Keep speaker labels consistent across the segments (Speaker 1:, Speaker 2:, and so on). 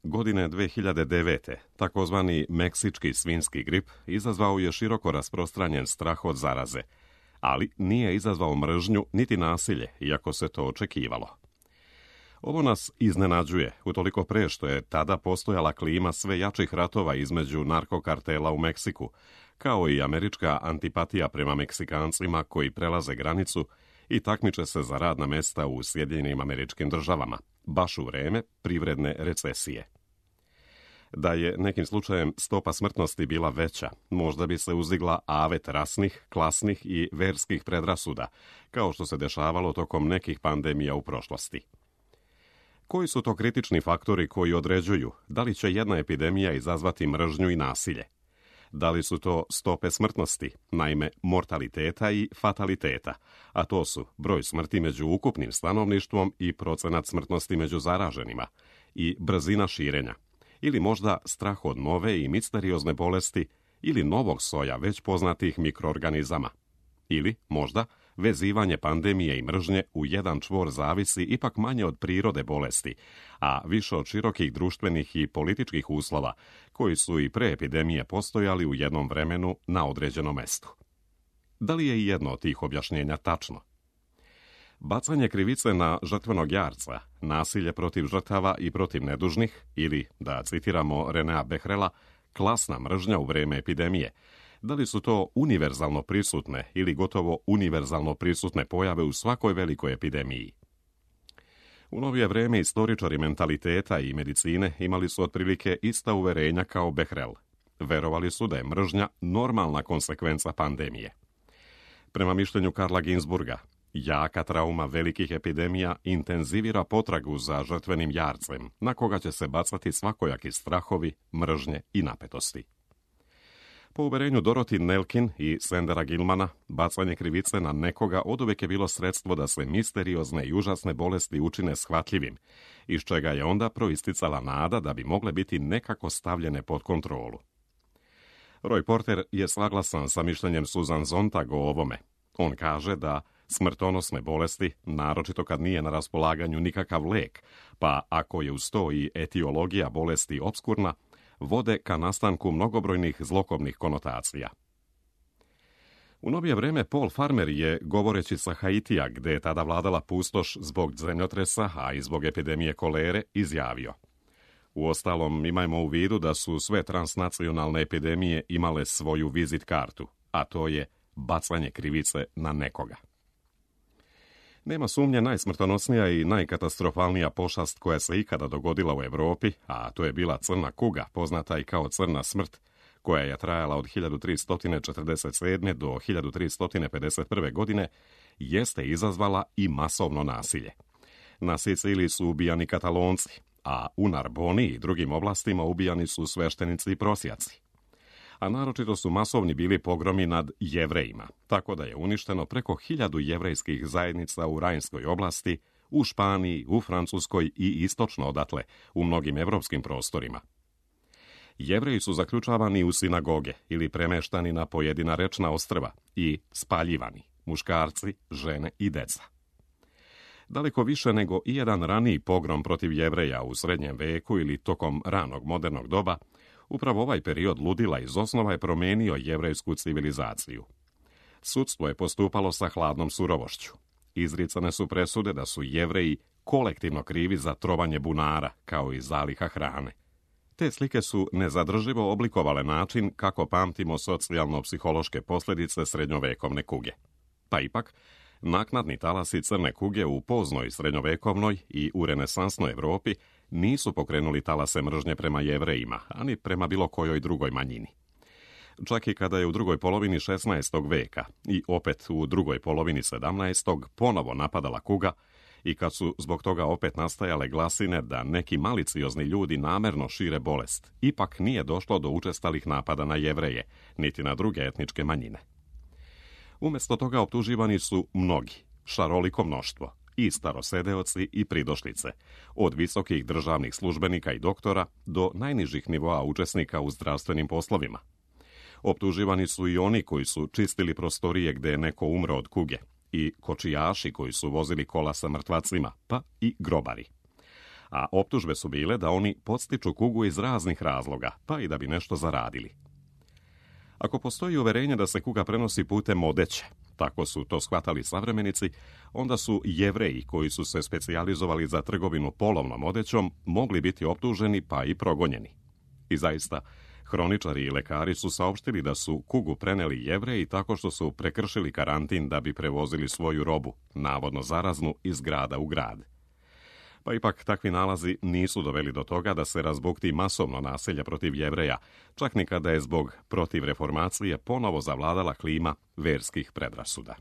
Speaker 1: Godine 2009. takozvani meksički svinjski grip izazvao je široko rasprostranjen strah od zaraze, ali nije izazvao mržnju niti nasilje, iako se to očekivalo. Ovo nas iznenađuje, utoliko pre što je tada postojala klima sve jačih ratova između narkokartela u Meksiku, kao i američka antipatija prema Meksikancima koji prelaze granicu i takmiče se za radna mesta u Sjedinjenim Američkim Državama, baš u vreme privredne recesije. Da je nekim slučajem stopa smrtnosti bila veća, možda bi se uzdigla avet rasnih, klasnih i verskih predrasuda, kao što se dešavalo tokom nekih pandemija u prošlosti. Koji su to kritični faktori koji određuju da li će jedna epidemija izazvati mržnju i nasilje? Da li su to stope smrtnosti, naime mortaliteta i fataliteta, a to su broj smrti među ukupnim stanovništvom i procenat smrtnosti među zaraženima, i brzina širenja, ili možda strah od nove i misteriozne bolesti ili novog soja već poznatih mikroorganizama, ili možda vezivanje pandemije i mržnje u jedan čvor zavisi ipak manje od prirode bolesti, a više od širokih društvenih i političkih uslova koji su i pre epidemije postojali u jednom vremenu na određenom mestu. Da li je i jedno od tih objašnjenja tačno? Bacanje krivice na žrtvenog jarca, nasilje protiv žrtava i protiv nedužnih, ili, da citiramo Renea Behrela, klasna mržnja u vreme epidemije, da li su to univerzalno prisutne ili gotovo univerzalno prisutne pojave u svakoj velikoj epidemiji? U novije vreme istoričari mentaliteta i medicine imali su otprilike ista uverenja kao Behrel. Verovali su da je mržnja normalna konsekvenca pandemije. Prema mišljenju Karla Ginsburga, jaka trauma velikih epidemija intenzivira potragu za žrtvenim jarcem, na koga će se bacati svakojaki strahovi, mržnje i napetosti. Po uverenju Dorothy Nelkin i Sandera Gilmana, bacanje krivice na nekoga oduvek je bilo sredstvo da se misteriozne i užasne bolesti učine shvatljivim, iz čega je onda proisticala nada da bi mogle biti nekako stavljene pod kontrolu. Roy Porter je saglasan sa mišljenjem Susan Sontag o ovome. On kaže da smrtonosne bolesti, naročito kad nije na raspolaganju nikakav lek, pa ako je uz to i etiologija bolesti opskurna, vode ka nastanku mnogobrojnih zlokobnih konotacija. U novije vreme Paul Farmer je, govoreći sa Haitija, gde je tada vladala pustoš zbog zemljotresa, a i zbog epidemije kolere, izjavio: Uostalom, imajmo u vidu da su sve transnacionalne epidemije imale svoju vizit kartu, a to je bacanje krivice na nekoga. Nema sumnje, najsmrtonosnija i najkatastrofalnija pošast koja se ikada dogodila u Evropi, a to je bila crna kuga, poznata i kao crna smrt, koja je trajala od 1347. do 1351. godine, jeste izazvala i masovno nasilje. Na Siciliji su ubijani Katalonci, a u Narboni i drugim oblastima ubijani su sveštenici i prosjaci. A naročito su masovni bili pogromi nad Jevrejima, tako da je uništeno preko 1000 jevrejskih zajednica u Rajnskoj oblasti, u Španiji, u Francuskoj i istočno odatle, u mnogim evropskim prostorima. Jevreji su zaključavani u sinagoge ili premeštani na pojedina rečna ostrva i spaljivani, muškarci, žene i deca. Daleko više nego i jedan raniji pogrom protiv Jevreja u srednjem veku ili tokom ranog modernog doba, upravo ovaj period ludila iz osnova je promenio jevrejsku civilizaciju. Sudstvo je postupalo sa hladnom surovošću. Izricane su presude da su Jevreji kolektivno krivi za trovanje bunara, kao i zaliha hrane. Te slike su nezadrživo oblikovale način kako pamtimo socijalno-psihološke posljedice srednjovekovne kuge. Pa ipak, naknadni talasi crne kuge u poznoj srednjovekovnoj i u renesansnoj Evropi nisu pokrenuli talase mržnje prema Jevrejima, ani prema bilo kojoj drugoj manjini. Čak i kada je u drugoj polovini 16. veka i opet u drugoj polovini 17. ponovo napadala kuga i kad su zbog toga opet nastajale glasine da neki maliciozni ljudi namerno šire bolest, ipak nije došlo do učestalih napada na Jevreje, niti na druge etničke manjine. Umjesto toga optuživani su mnogi, šaroliko mnoštvo, i starosedeoci i pridošlice, od visokih državnih službenika i doktora do najnižih nivoa učesnika u zdravstvenim poslovima. Optuživani su i oni koji su čistili prostorije gde je neko umro od kuge, i kočijaši koji su vozili kola sa mrtvacima, pa i grobari. a optužbe su bile da oni podstiču kugu iz raznih razloga, pa i da bi nešto zaradili. Ako postoji uverenje da se kuga prenosi putem odeće, tako su to shvatali savremenici, onda su Jevreji koji su se specijalizovali za trgovinu polovnom odećom mogli biti optuženi pa i progonjeni. I zaista, hroničari i lekari su saopštili da su kugu preneli Jevreji tako što su prekršili karantin da bi prevozili svoju robu, navodno zaraznu, iz grada u grad. Pa ipak takvi nalazi nisu doveli do toga da se razbukti masovno nasilje protiv Jevreja, čak ni kada je zbog protivreformacije ponovo zavladala klima verskih predrasuda.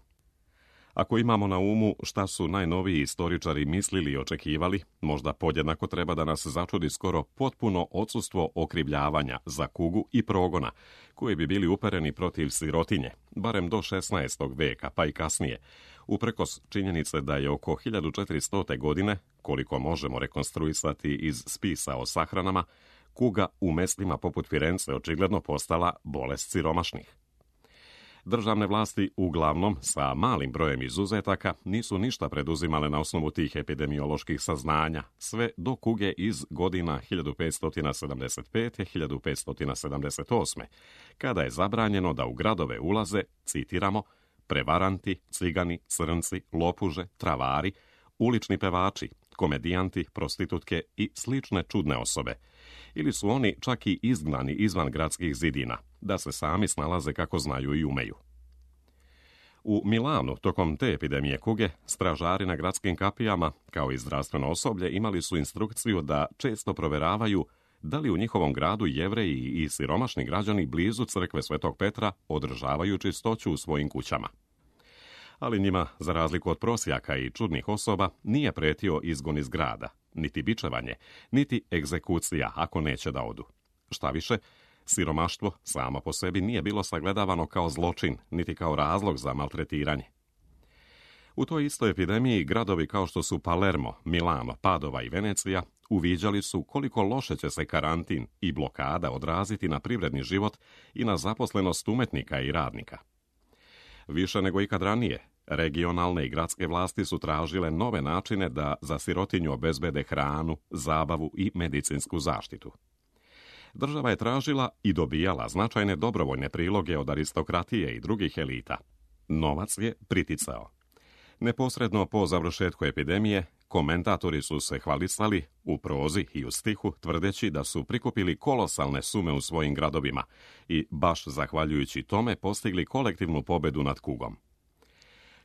Speaker 1: Ako imamo na umu šta su najnoviji istoričari mislili i očekivali, možda podjednako treba da nas začudi skoro potpuno odsustvo okrivljavanja za kugu i progona, koji bi bili upereni protiv sirotinje, barem do 16. veka, pa i kasnije, uprkos činjenice da je oko 1400. godine, koliko možemo rekonstruisati iz spisa o sahranama, kuga u mestima poput Firence očigledno postala bolest siromašnih. Državne vlasti, uglavnom sa malim brojem izuzetaka, nisu ništa preduzimale na osnovu tih epidemioloških saznanja, sve do kuge iz godina 1575-1578, kada je zabranjeno da u gradove ulaze, citiramo, prevaranti, cigani, crnci, lopuže, travari, ulični pevači, komedijanti, prostitutke i slične čudne osobe. Ili su oni čak i izgnani izvan gradskih zidina, da se sami snalaze kako znaju i umeju. U Milanu, tokom te epidemije kuge, stražari na gradskim kapijama, kao i zdravstveno osoblje, imali su instrukciju da često proveravaju da li u njihovom gradu Jevreji i siromašni građani blizu crkve Svetog Petra održavaju čistoću u svojim kućama. Ali njima, za razliku od prosjaka i čudnih osoba, nije pretio izgon iz grada, niti bičevanje, niti egzekucija ako neće da odu. Šta više, siromaštvo samo po sebi nije bilo sagledavano kao zločin, niti kao razlog za maltretiranje. U toj istoj epidemiji gradovi kao što su Palermo, Milano, Padova i Venecija uviđali su koliko loše će se karantin i blokada odraziti na privredni život i na zaposlenost umetnika i radnika. Više nego ikad ranije, regionalne i gradske vlasti su tražile nove načine da za sirotinju obezbede hranu, zabavu i medicinsku zaštitu. Država je tražila i dobijala značajne dobrovoljne priloge od aristokratije i drugih elita. Novac je priticao. Neposredno po završetku epidemije, komentatori su se hvalisali u prozi i u stihu, tvrdeći da su prikupili kolosalne sume u svojim gradovima i baš zahvaljujući tome postigli kolektivnu pobedu nad kugom.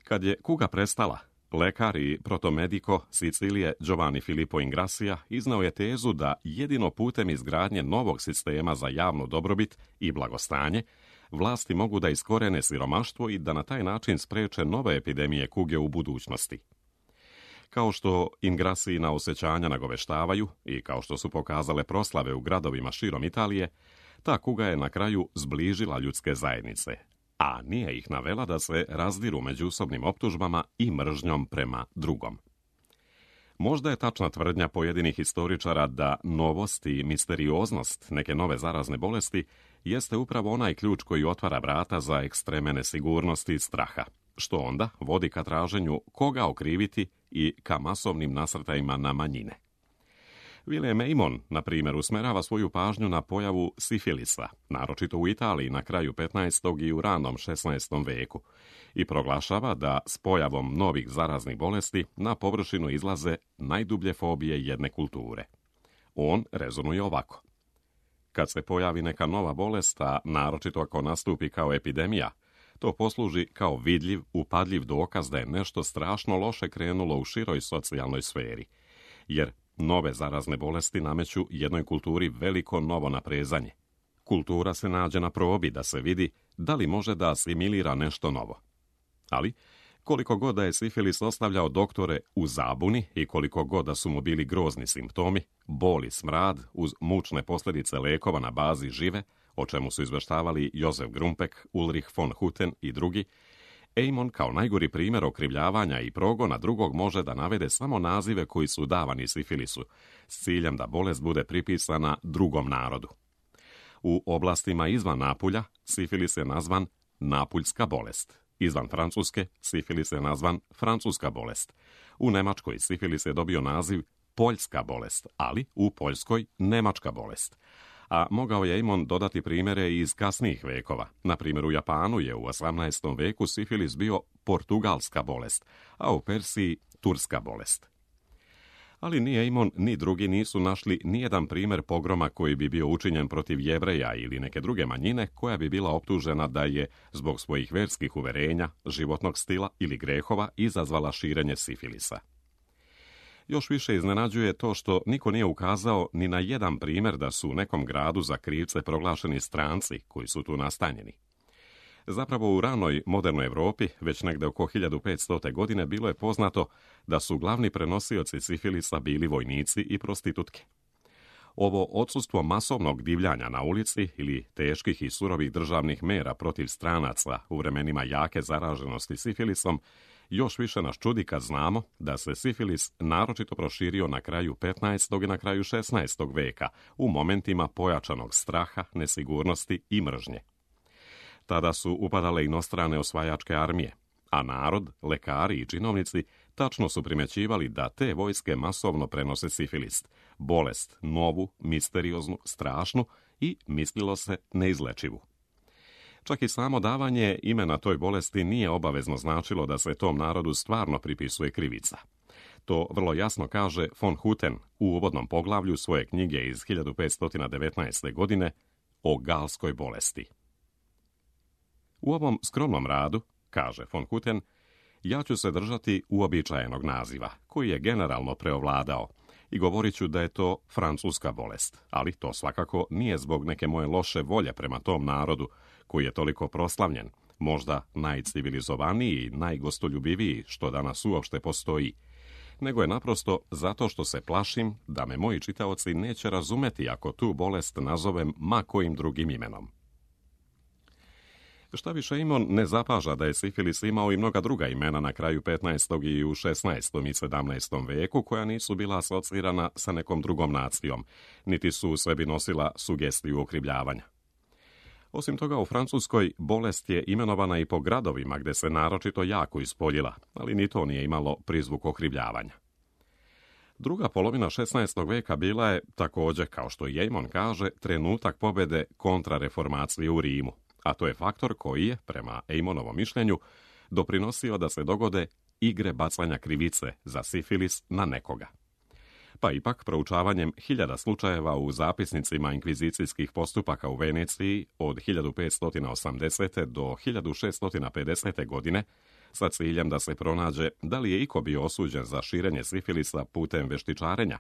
Speaker 1: Kad je kuga prestala, lekar i protomediko Sicilije Giovanni Filippo Ingrassia iznao je tezu da jedino putem izgradnje novog sistema za javnu dobrobit i blagostanje vlasti mogu da iskorene siromaštvo i da na taj način spreče nove epidemije kuge u budućnosti. Kao što Ingrassijina osjećanja nagoveštavaju i kao što su pokazale proslave u gradovima širom Italije, ta kuga je na kraju zbližila ljudske zajednice, a nije ih navela da se razdiru međusobnim optužbama i mržnjom prema drugom. Možda je tačna tvrdnja pojedinih historičara da novost i misterioznost neke nove zarazne bolesti jeste upravo onaj ključ koji otvara vrata za ekstreme nesigurnosti i straha, što onda vodi ka traženju koga okriviti i ka masovnim nasrtajima na manjine. William Aymon, na primjer, usmerava svoju pažnju na pojavu sifilisa, naročito u Italiji na kraju 15. i u ranom 16. veku, i proglašava da s pojavom novih zaraznih bolesti na površinu izlaze najdublje fobije jedne kulture. On rezonuje ovako. Kad se pojavi neka nova bolest, a naročito ako nastupi kao epidemija, to posluži kao vidljiv, upadljiv dokaz da je nešto strašno loše krenulo u široj socijalnoj sferi, jer nove zarazne bolesti nameću jednoj kulturi veliko novo naprezanje. Kultura se nađe na probi da se vidi da li može da asimilira nešto novo. Ali, koliko god da je sifilis ostavljao doktore u zabuni i koliko god da su mu bili grozni simptomi, bol i smrad uz mučne posljedice lekova na bazi žive, o čemu su izveštavali Josef Grumpek, Ulrich von Hutten i drugi, Aymon kao najgori primjer okrivljavanja i progona drugog može da navede samo nazive koji su davani sifilisu, s ciljem da bolest bude pripisana drugom narodu. U oblastima izvan Napulja sifilis je nazvan napuljska bolest. Izvan Francuske sifilis je nazvan francuska bolest. U Nemačkoj sifilis je dobio naziv poljska bolest, ali u Poljskoj nemačka bolest. A mogao je Eamon dodati primjere iz kasnijih vekova. Na primjer, u Japanu je u 18. veku sifilis bio portugalska bolest, a u Persiji turska bolest. Ali ni Eamon ni drugi nisu našli nijedan primjer pogroma koji bi bio učinjen protiv Jevreja ili neke druge manjine koja bi bila optužena da je zbog svojih verskih uverenja, životnog stila ili grehova izazvala širenje sifilisa. Još više iznenađuje to što niko nije ukazao ni na jedan primjer da su u nekom gradu za krivce proglašeni stranci koji su tu nastanjeni. Zapravo u ranoj modernoj Europi, već negde oko 1500. godine, bilo je poznato da su glavni prenosioci sifilisa bili vojnici i prostitutke. Ovo odsustvo masovnog divljanja na ulici ili teških i surovih državnih mera protiv stranaca u vremenima jake zaraženosti sifilisom još više nas čudi kad znamo da se sifilis naročito proširio na kraju 15. i na kraju 16. veka u momentima pojačanog straha, nesigurnosti i mržnje. Tada su upadale inostrane osvajačke armije, a narod, lekari i činovnici tačno su primjećivali da te vojske masovno prenose sifilis, bolest novu, misterioznu, strašnu i, mislilo se, neizlečivu. Čak i samo davanje imena toj bolesti nije obavezno značilo da se tom narodu stvarno pripisuje krivica. To vrlo jasno kaže von Hutten u uvodnom poglavlju svoje knjige iz 1519. godine o galskoj bolesti. U ovom skromnom radu, kaže von Hutten, ja ću se držati uobičajenog naziva, koji je generalno preovladao, i govorit ću da je to francuska bolest, ali to svakako nije zbog neke moje loše volje prema tom narodu, koji je toliko proslavljen, možda najcivilizovaniji i najgostoljubiviji što danas uopšte postoji, nego je naprosto zato što se plašim da me moji čitaoci neće razumeti ako tu bolest nazovem ma kojim drugim imenom. Šta više, Eamon ne zapaža da je sifilis imao i mnoga druga imena na kraju 15. i u 16. i 17. veku koja nisu bila asocirana sa nekom drugom nacijom, niti su u sebi nosila sugestiju okrivljavanja. Osim toga, u Francuskoj bolest je imenovana i po gradovima gde se naročito jako ispoljila, ali ni to nije imalo prizvuk okrivljavanja. Druga polovina 16. veka bila je, također kao što i Eamon kaže, trenutak pobjede kontrareformacije u Rimu, a to je faktor koji je, prema Eamonovom mišljenju, doprinosio da se dogode igre bacanja krivice za sifilis na nekoga. Pa ipak, proučavanjem 1000 slučajeva u zapisnicima inkvizicijskih postupaka u Veneciji od 1580. do 1650. godine, sa ciljem da se pronađe da li je iko bio osuđen za širenje sifilisa putem veštičarenja,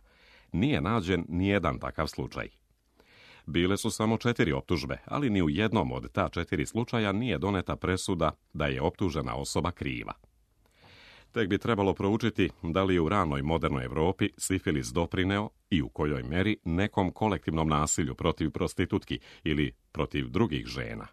Speaker 1: nije nađen nijedan takav slučaj. Bile su samo 4 optužbe, ali ni u jednom od ta 4 slučaja nije doneta presuda da je optužena osoba kriva. Tek bi trebalo proučiti da li je u ranoj modernoj Europi sifilis doprineo i u kojoj meri nekom kolektivnom nasilju protiv prostitutki ili protiv drugih žena.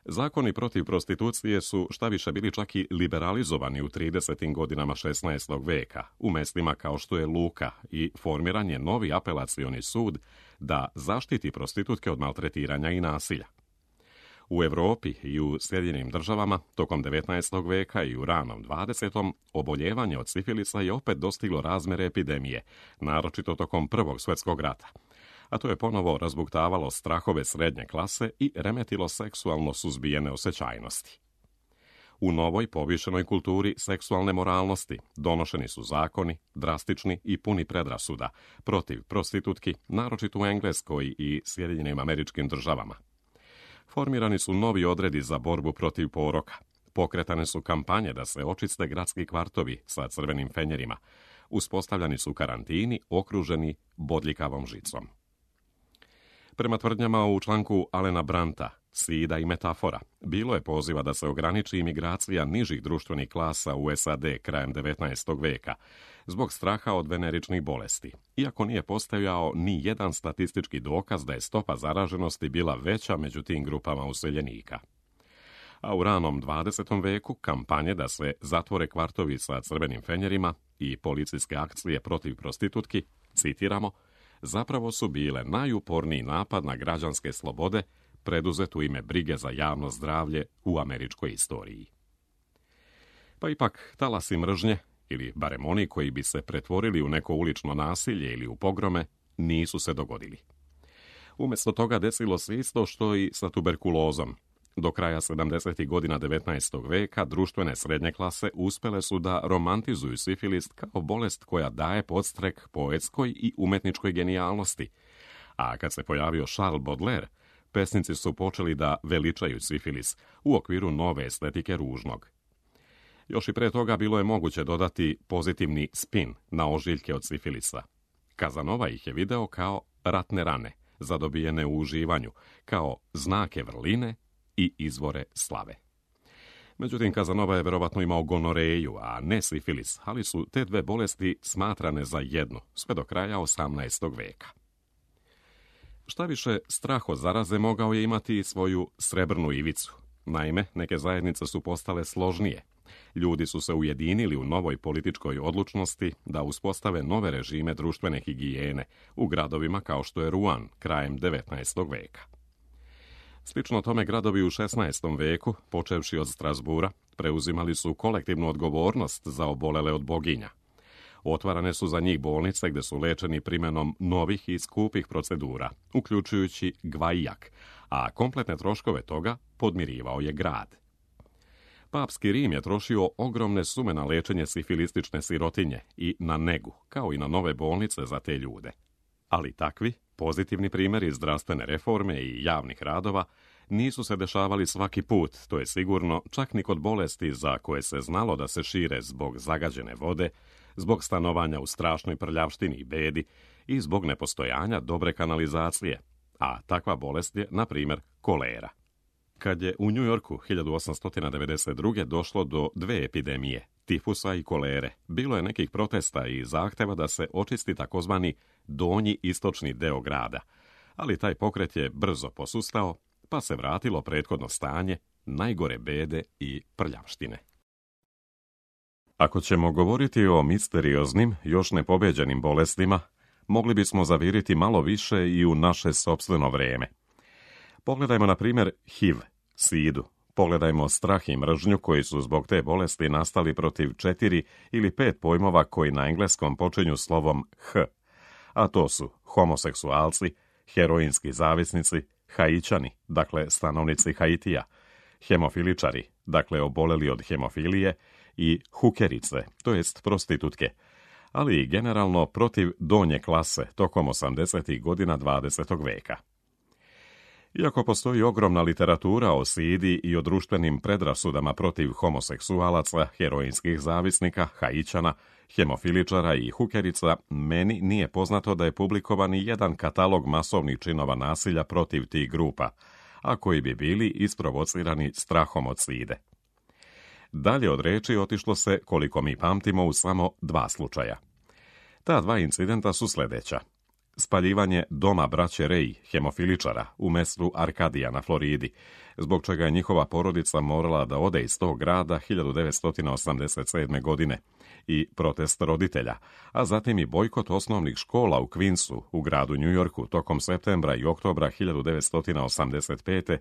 Speaker 1: Zakoni protiv prostitucije su šta više bili čak i liberalizovani u 30. godinama 16. veka, u mestima kao što je Luka, i formiran je novi apelacioni sud da zaštiti prostitutke od maltretiranja i nasilja. U Europi i u Sjedinjenim državama tokom 19. veka i u ranom 20. oboljevanje od sifilisa je opet dostiglo razmere epidemije, naročito tokom Prvog svjetskog rata. A to je ponovo razbuktavalo strahove srednje klase i remetilo seksualno suzbijene osjećajnosti. U novoj povišenoj kulturi seksualne moralnosti donošeni su zakoni, drastični i puni predrasuda, protiv prostitutki, naročito u Engleskoj i Sjedinjenim Američkim Državama. Formirani su novi odredi za borbu protiv poroka. Pokretane su kampanje da se očiste gradski kvartovi sa crvenim fenjerima. Uspostavljani su karantini okruženi bodljikavom žicom. Prema tvrdnjama u članku Alena Branta, Sida i metafora, bilo je poziva da se ograniči imigracija nižih društvenih klasa u SAD krajem 19. veka, zbog straha od veneričnih bolesti, iako nije postojao ni jedan statistički dokaz da je stopa zaraženosti bila veća među tim grupama useljenika. A u ranom 20. veku kampanje da se zatvore kvartovi sa crvenim fenjerima i policijske akcije protiv prostitutki, citiramo, zapravo su bile najuporniji napad na građanske slobode preduzet u ime brige za javno zdravlje u američkoj istoriji. Pa ipak, talasi mržnje ili barem oni koji bi se pretvorili u neko ulično nasilje ili u pogrome, nisu se dogodili. Umjesto toga desilo se isto što i sa tuberkulozom. Do kraja 70. godina 19. veka društvene srednje klase uspjele su da romantizuju sifilis kao bolest koja daje podstrek poetskoj i umetničkoj genijalnosti. A kad se pojavio Charles Baudelaire, pesnici su počeli da veličaju sifilis u okviru nove estetike ružnog. Još i pre toga bilo je moguće dodati pozitivni spin na ožiljke od sifilisa. Kazanova ih je video kao ratne rane, zadobijene u uživanju, kao znake vrline i izvore slave. Međutim, Kazanova je verovatno imao gonoreju, a ne sifilis, ali su te dve bolesti smatrane za jednu, sve do kraja 18. veka. Šta više, strah od zaraze mogao je imati i svoju srebrnu ivicu. Naime, neke zajednice su postale složnije. Ljudi su se ujedinili u novoj političkoj odlučnosti da uspostave nove režime društvene higijene u gradovima kao što je Rouen krajem 19. veka. Slično tome gradovi u 16. veku, počevši od Strasbura, preuzimali su kolektivnu odgovornost za obolele od boginja. Otvarane su za njih bolnice gde su lečeni primjenom novih i skupih procedura, uključujući gvajjak, a kompletne troškove toga podmirivao je grad. Papski Rim je trošio ogromne sume na lečenje sifilistične sirotinje i na negu, kao i na nove bolnice za te ljude. Ali takvi, pozitivni primjeri zdravstvene reforme i javnih radova nisu se dešavali svaki put, to je sigurno, čak ni kod bolesti za koje se znalo da se šire zbog zagađene vode, zbog stanovanja u strašnoj prljavštini i bedi i zbog nepostojanja dobre kanalizacije, a takva bolest je, na primjer, kolera. Kad je u New Yorku 1892. došlo do dve epidemije, tifusa i kolere, bilo je nekih protesta i zahteva da se očisti takozvani donji istočni deo grada, ali taj pokret je brzo posustao, pa se vratilo prethodno stanje najgore bede i prljavštine. Ako ćemo govoriti o misterioznim, još nepobeđenim bolestima, mogli bismo zaviriti malo više i u naše sopstveno vreme. Pogledajmo, na primjer, HIV, sidu. Pogledajmo strah i mržnju koji su zbog te bolesti nastali protiv 4 ili 5 pojmova koji na engleskom počinju slovom H, a to su homoseksualci, heroinski zavisnici, Haićani, dakle stanovnici Haitija, hemofiličari, dakle oboleli od hemofilije, i hukerice, to jest prostitutke, ali i generalno protiv donje klase tokom 80. godina 20. veka. Iako postoji ogromna literatura o sidi i o društvenim predrasudama protiv homoseksualaca, heroinskih zavisnika, Haićana, hemofiličara i hukerica, meni nije poznato da je publikovan i jedan katalog masovnih činova nasilja protiv tih grupa, a koji bi bili isprovocirani strahom od side. Dalje od reči otišlo se, koliko mi pamtimo, u samo 2 slučaja. Ta 2 incidenta su sljedeća. Spaljivanje doma braće Rej, hemofiličara, u mestu Arkadija na Floridi, zbog čega je njihova porodica morala da ode iz tog grada 1987. godine, i protest roditelja, a zatim i bojkot osnovnih škola u Queensu, u gradu New Yorku, tokom septembra i oktobra 1985.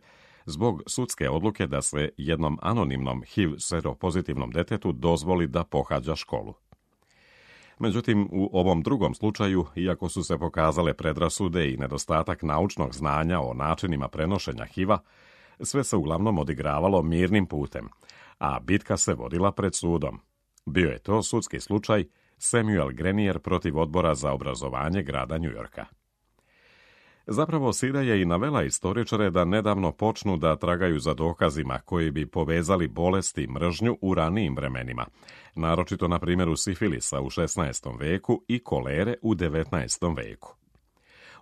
Speaker 1: zbog sudske odluke da se jednom anonimnom HIV seropozitivnom detetu dozvoli da pohađa školu. Međutim, u ovom drugom slučaju, iako su se pokazale predrasude i nedostatak naučnog znanja o načinima prenošenja HIV-a, sve se uglavnom odigravalo mirnim putem, a bitka se vodila pred sudom. Bio je to sudski slučaj Samuel Grenier protiv Odbora za obrazovanje grada New Yorka. Zapravo, sida je i navela istoričare da nedavno počnu da tragaju za dokazima koji bi povezali bolesti i mržnju u ranijim vremenima, naročito na primjeru sifilisa u 16. veku i kolere u 19. veku.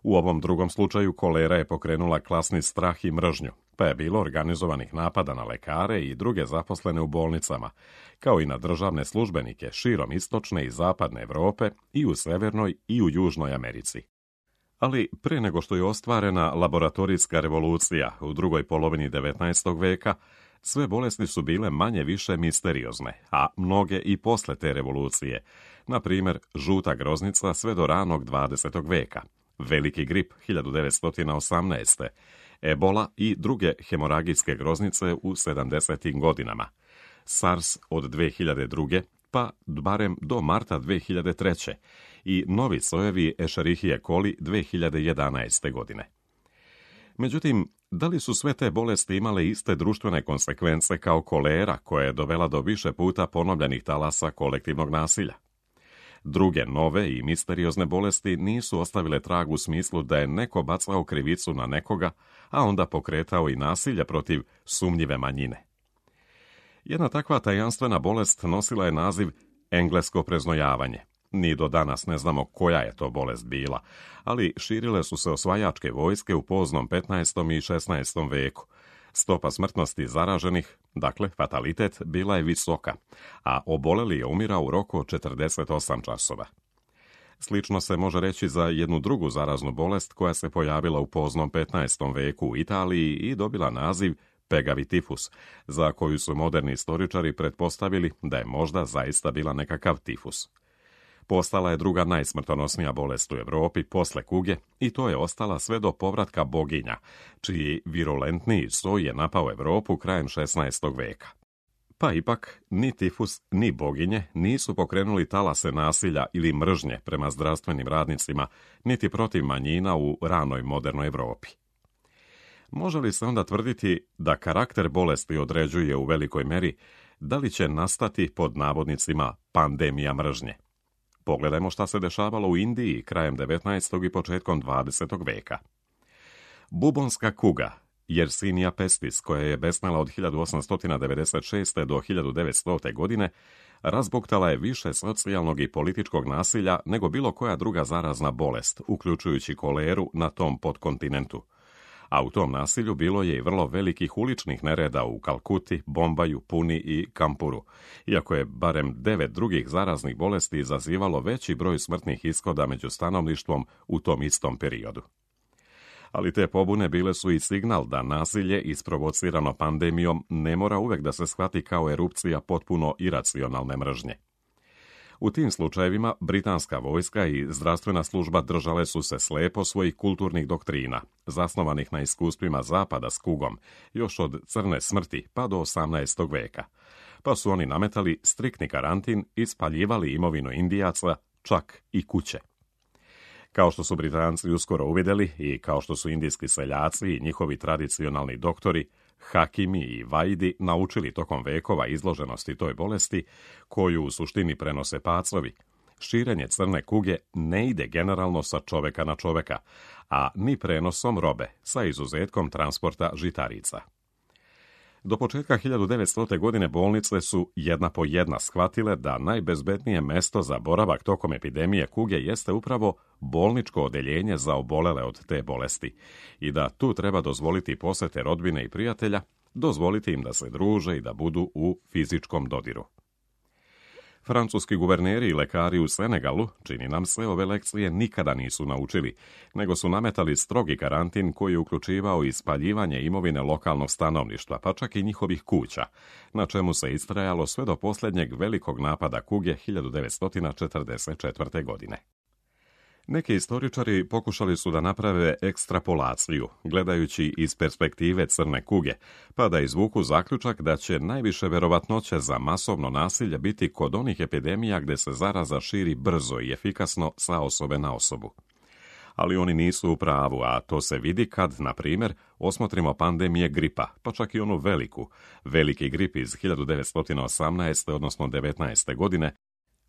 Speaker 1: U ovom drugom slučaju kolera je pokrenula klasni strah i mržnju, pa je bilo organizovanih napada na lekare i druge zaposlene u bolnicama, kao i na državne službenike širom istočne i zapadne Europe i u Severnoj i u Južnoj Americi. Ali pre nego što je ostvarena laboratorijska revolucija u drugoj polovini 19. veka, sve bolesti su bile manje više misteriozne, a mnoge i posle te revolucije, na primjer žuta groznica sve do ranog 20. veka, veliki grip 1918. ebola i druge hemoragijske groznice u 70. godinama, SARS od 2002. pa barem do marta 2003. i novi sojevi Escherichia coli 2011. godine. Međutim, da li su sve te bolesti imale iste društvene konsekvence kao kolera, koja je dovela do više puta ponovljenih talasa kolektivnog nasilja? Druge, nove i misteriozne bolesti nisu ostavile trag u smislu da je neko bacao krivicu na nekoga, a onda pokretao i nasilje protiv sumnjive manjine. Jedna takva tajanstvena bolest nosila je naziv englesko preznojavanje. Ni do danas ne znamo koja je to bolest bila, ali širile su se osvajačke vojske u poznom 15. i 16. veku. Stopa smrtnosti zaraženih, dakle fatalitet, bila je visoka, a oboleli je umirao u roku od 48 časova. Slično se može reći za jednu drugu zaraznu bolest koja se pojavila u poznom 15. veku u Italiji i dobila naziv pegavi tifus, za koju su moderni istoričari pretpostavili da je možda zaista bila nekakav tifus. Postala je druga najsmrtonosnija bolest u Europi posle kuge i to je ostala sve do povratka boginja, čiji virulentniji soj je napao Europu krajem 16. veka. Pa ipak, ni tifus, ni boginje nisu pokrenuli talase nasilja ili mržnje prema zdravstvenim radnicima, niti protiv manjina u ranoj modernoj Europi. Može li se onda tvrditi da karakter bolesti određuje u velikoj meri da li će nastati pod navodnicima pandemija mržnje? Pogledajmo šta se dešavalo u Indiji krajem 19. i početkom 20. veka. Bubonska kuga, Yersinia pestis, koja je besnela od 1896. do 1900. godine, razbuktala je više socijalnog i političkog nasilja nego bilo koja druga zarazna bolest, uključujući koleru na tom podkontinentu. A u tom nasilju bilo je i vrlo velikih uličnih nereda u Kalkuti, Bombaju, Puni i Kampuru, iako je barem 9 drugih zaraznih bolesti izazivalo veći broj smrtnih ishoda među stanovništvom u tom istom periodu. Ali te pobune bile su i signal da nasilje isprovocirano pandemijom ne mora uvek da se shvati kao erupcija potpuno iracionalne mržnje. U tim slučajevima britanska vojska i zdravstvena služba držale su se slepo svojih kulturnih doktrina, zasnovanih na iskustvima Zapada s kugom, još od crne smrti pa do 18. veka. Pa su oni nametali striktni karantin i spaljivali imovinu Indijaca, čak i kuće. Kao što su Britanci uskoro uvidjeli i kao što su indijski seljaci i njihovi tradicionalni doktori, hakimi i vajdi naučili tokom vekova izloženosti toj bolesti, koju u suštini prenose pacovi, širenje crne kuge ne ide generalno sa čoveka na čoveka, a ni prenosom robe, sa izuzetkom transporta žitarica. Do početka 1900. godine bolnice su jedna po jedna shvatile da najbezbednije mesto za boravak tokom epidemije kuge jeste upravo bolničko odeljenje za obolele od te bolesti i da tu treba dozvoliti posete rodbine i prijatelja, dozvoliti im da se druže i da budu u fizičkom dodiru. Francuski guverneri i lekari u Senegalu, čini nam se, ove lekcije nikada nisu naučili, nego su nametali strogi karantin koji je uključivao i spaljivanje imovine lokalnog stanovništva, pa čak i njihovih kuća, na čemu se istrajalo sve do posljednjeg velikog napada kuge 1944. godine. Neki istoričari pokušali su da naprave ekstrapolaciju, gledajući iz perspektive crne kuge, pa da izvuku zaključak da će najviše verovatnoće za masovno nasilje biti kod onih epidemija gde se zaraza širi brzo i efikasno sa osobe na osobu. Ali oni nisu u pravu, a to se vidi kad, na primjer, osmotrimo pandemije gripa, pa čak i onu veliki grip iz 1918. odnosno 19. godine,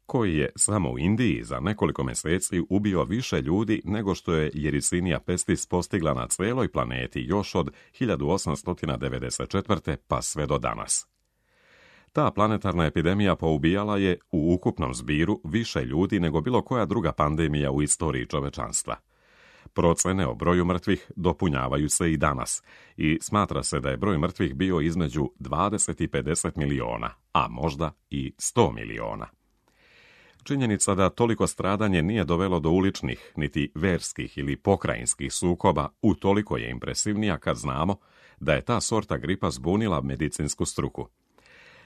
Speaker 1: koji je samo u Indiji za nekoliko mjeseci ubio više ljudi nego što je Yersinia pestis postigla na cijeloj planeti još od 1894. pa sve do danas. Ta planetarna epidemija poubijala je u ukupnom zbiru više ljudi nego bilo koja druga pandemija u istoriji čovečanstva. Procene o broju mrtvih dopunjavaju se i danas i smatra se da je broj mrtvih bio između 20 i 50 miliona, a možda i 100 miliona. Činjenica da toliko stradanje nije dovelo do uličnih, niti verskih ili pokrajinskih sukoba, utoliko je impresivnija kad znamo da je ta sorta gripa zbunila medicinsku struku.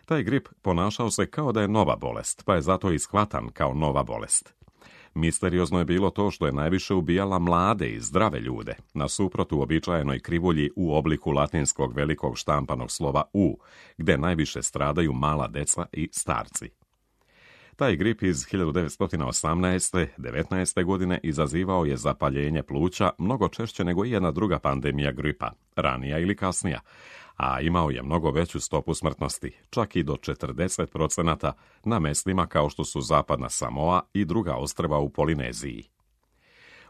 Speaker 1: Taj grip ponašao se kao da je nova bolest, pa je zato i shvatan kao nova bolest. Misteriozno je bilo to što je najviše ubijala mlade i zdrave ljude, nasuprot uobičajenoj krivulji u obliku latinskog velikog štampanog slova U, gde najviše stradaju mala deca i starci. Taj grip iz 1918. 19. godine izazivao je zapaljenje pluća mnogo češće nego i jedna druga pandemija gripa, ranija ili kasnija, a imao je mnogo veću stopu smrtnosti, čak i do 40% na mestima kao što su Zapadna Samoa i druga ostrva u Polineziji.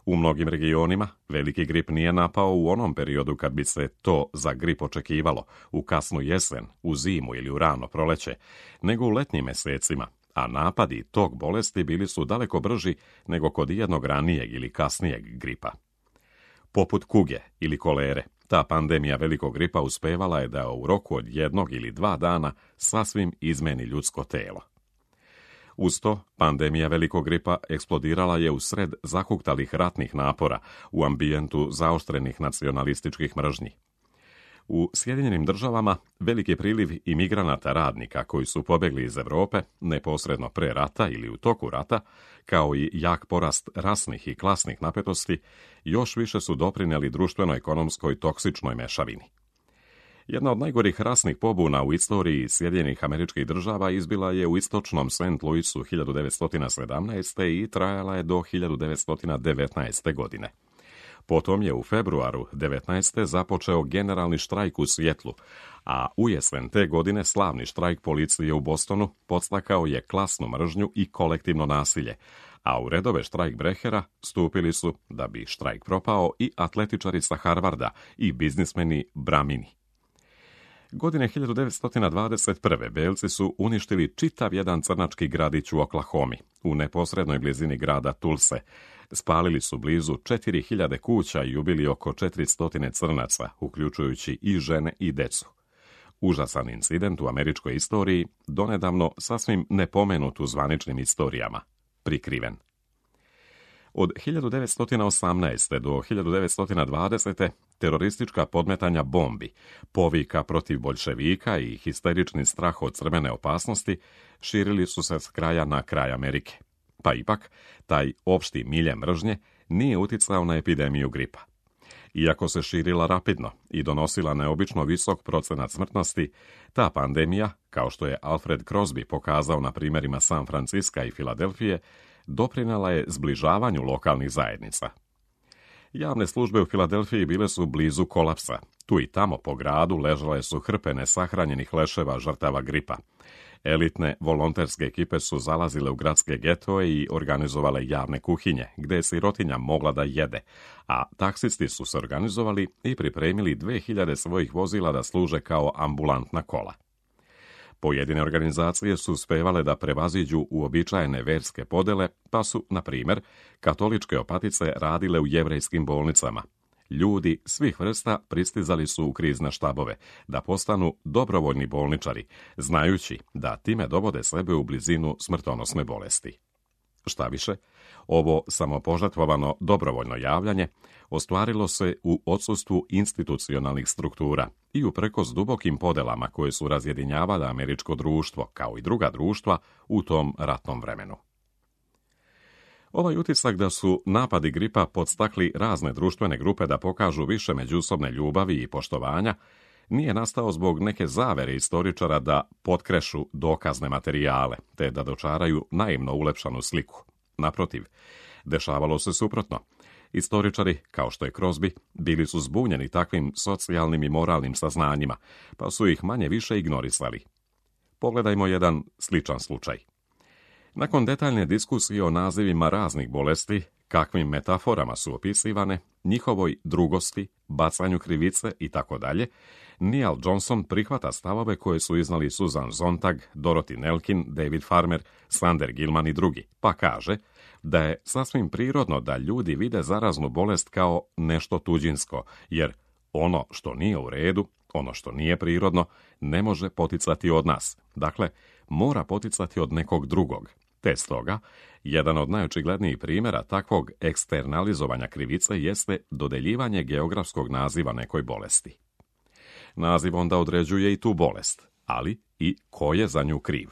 Speaker 1: U mnogim regionima veliki grip nije napao u onom periodu kad bi se to za grip očekivalo, u kasnu jesen, u zimu ili u rano proleće, nego u letnjim mesecima, a napadi tog bolesti bili su daleko brži nego kod jednog ranijeg ili kasnijeg gripa. Poput kuge ili kolere, ta pandemija velikog gripa uspevala je da u roku od 1 ili 2 dana sasvim izmeni ljudsko telo. Uz to, pandemija velikog gripa eksplodirala je u sred zahuktalih ratnih napora u ambijentu zaoštrenih nacionalističkih mržnji. U Sjedinjenim Državama veliki priliv imigranata radnika koji su pobegli iz Europe neposredno pre rata ili u toku rata, kao i jak porast rasnih i klasnih napetosti, još više su doprinijeli društveno-ekonomskoj toksičnoj mešavini. Jedna od najgorih rasnih pobuna u istoriji Sjedinjenih Američkih Država izbila je u istočnom St. Louisu 1917. i trajala je do 1919. godine. Potom je u februaru 19. započeo generalni štrajk u Sijetlu, a u jesen te godine slavni štrajk policije u Bostonu podstakao je klasnu mržnju i kolektivno nasilje, a u redove štrajkbrehera stupili su, da bi štrajk propao, i atletičari sa Harvarda i biznismeni Bramini. Godine 1921. belci su uništili čitav jedan crnački gradić u Oklahomi, u neposrednoj blizini grada Tulse. Spalili su blizu 4000 kuća i ubili oko 400 crnaca, uključujući i žene i decu. Užasan incident u američkoj istoriji, donedavno sasvim nepomenut u zvaničnim istorijama, prikriven. Od 1918. do 1920. teroristička podmetanja bombi, povika protiv boljševika i histerični strah od crvene opasnosti širili su se s kraja na kraj Amerike. Pa ipak, taj opšti milje mržnje nije uticao na epidemiju gripa. Iako se širila rapidno i donosila neobično visok procenat smrtnosti, ta pandemija, kao što je Alfred Crosby pokazao na primjerima San Franciska i Filadelfije, doprinela je zbližavanju lokalnih zajednica. Javne službe u Filadelfiji bile su blizu kolapsa. Tu i tamo po gradu ležale su hrpe nesahranjenih leševa žrtava gripa. Elitne volonterske ekipe su zalazile u gradske getoe i organizovale javne kuhinje, gde je sirotinja mogla da jede, a taksisti su se organizovali i pripremili 2000 svojih vozila da služe kao ambulantna kola. Pojedine organizacije su uspevale da prevaziđu uobičajene verske podele, pa su, na primjer, katoličke opatice radile u jevrejskim bolnicama. Ljudi svih vrsta pristizali su u krizne štabove, da postanu dobrovoljni bolničari, znajući da time dovode sebe u blizinu smrtonosne bolesti. Šta više, ovo samopožrtvovano dobrovoljno javljanje ostvarilo se u odsustvu institucionalnih struktura i uprkos dubokim podelama koje su razjedinjavale američko društvo, kao i druga društva, u tom ratnom vremenu. Ovaj utisak da su napadi gripa podstakli razne društvene grupe da pokažu više međusobne ljubavi i poštovanja, nije nastao zbog neke zavere istoričara da potkrešu dokazne materijale, te da dočaraju naivno ulepšanu sliku. Naprotiv, dešavalo se suprotno. Istoričari, kao što je Crosby, bili su zbunjeni takvim socijalnim i moralnim saznanjima, pa su ih manje više ignorisali. Pogledajmo jedan sličan slučaj. Nakon detaljne diskusije o nazivima raznih bolesti, kakvim metaforama su opisivane, njihovoj drugosti, bacanju krivice itd., Neal Johnson prihvata stavove koje su iznali Susan Sontag, Dorothy Nelkin, David Farmer, Sander Gilman i drugi, pa kaže da je sasvim prirodno da ljudi vide zaraznu bolest kao nešto tuđinsko, jer ono što nije u redu, ono što nije prirodno, ne može poticati od nas. Dakle, mora poticati od nekog drugog. Te stoga, jedan od najočiglednijih primjera takvog eksternalizovanja krivice jeste dodeljivanje geografskog naziva nekoj bolesti. Naziv onda određuje i tu bolest, ali i ko je za nju kriv.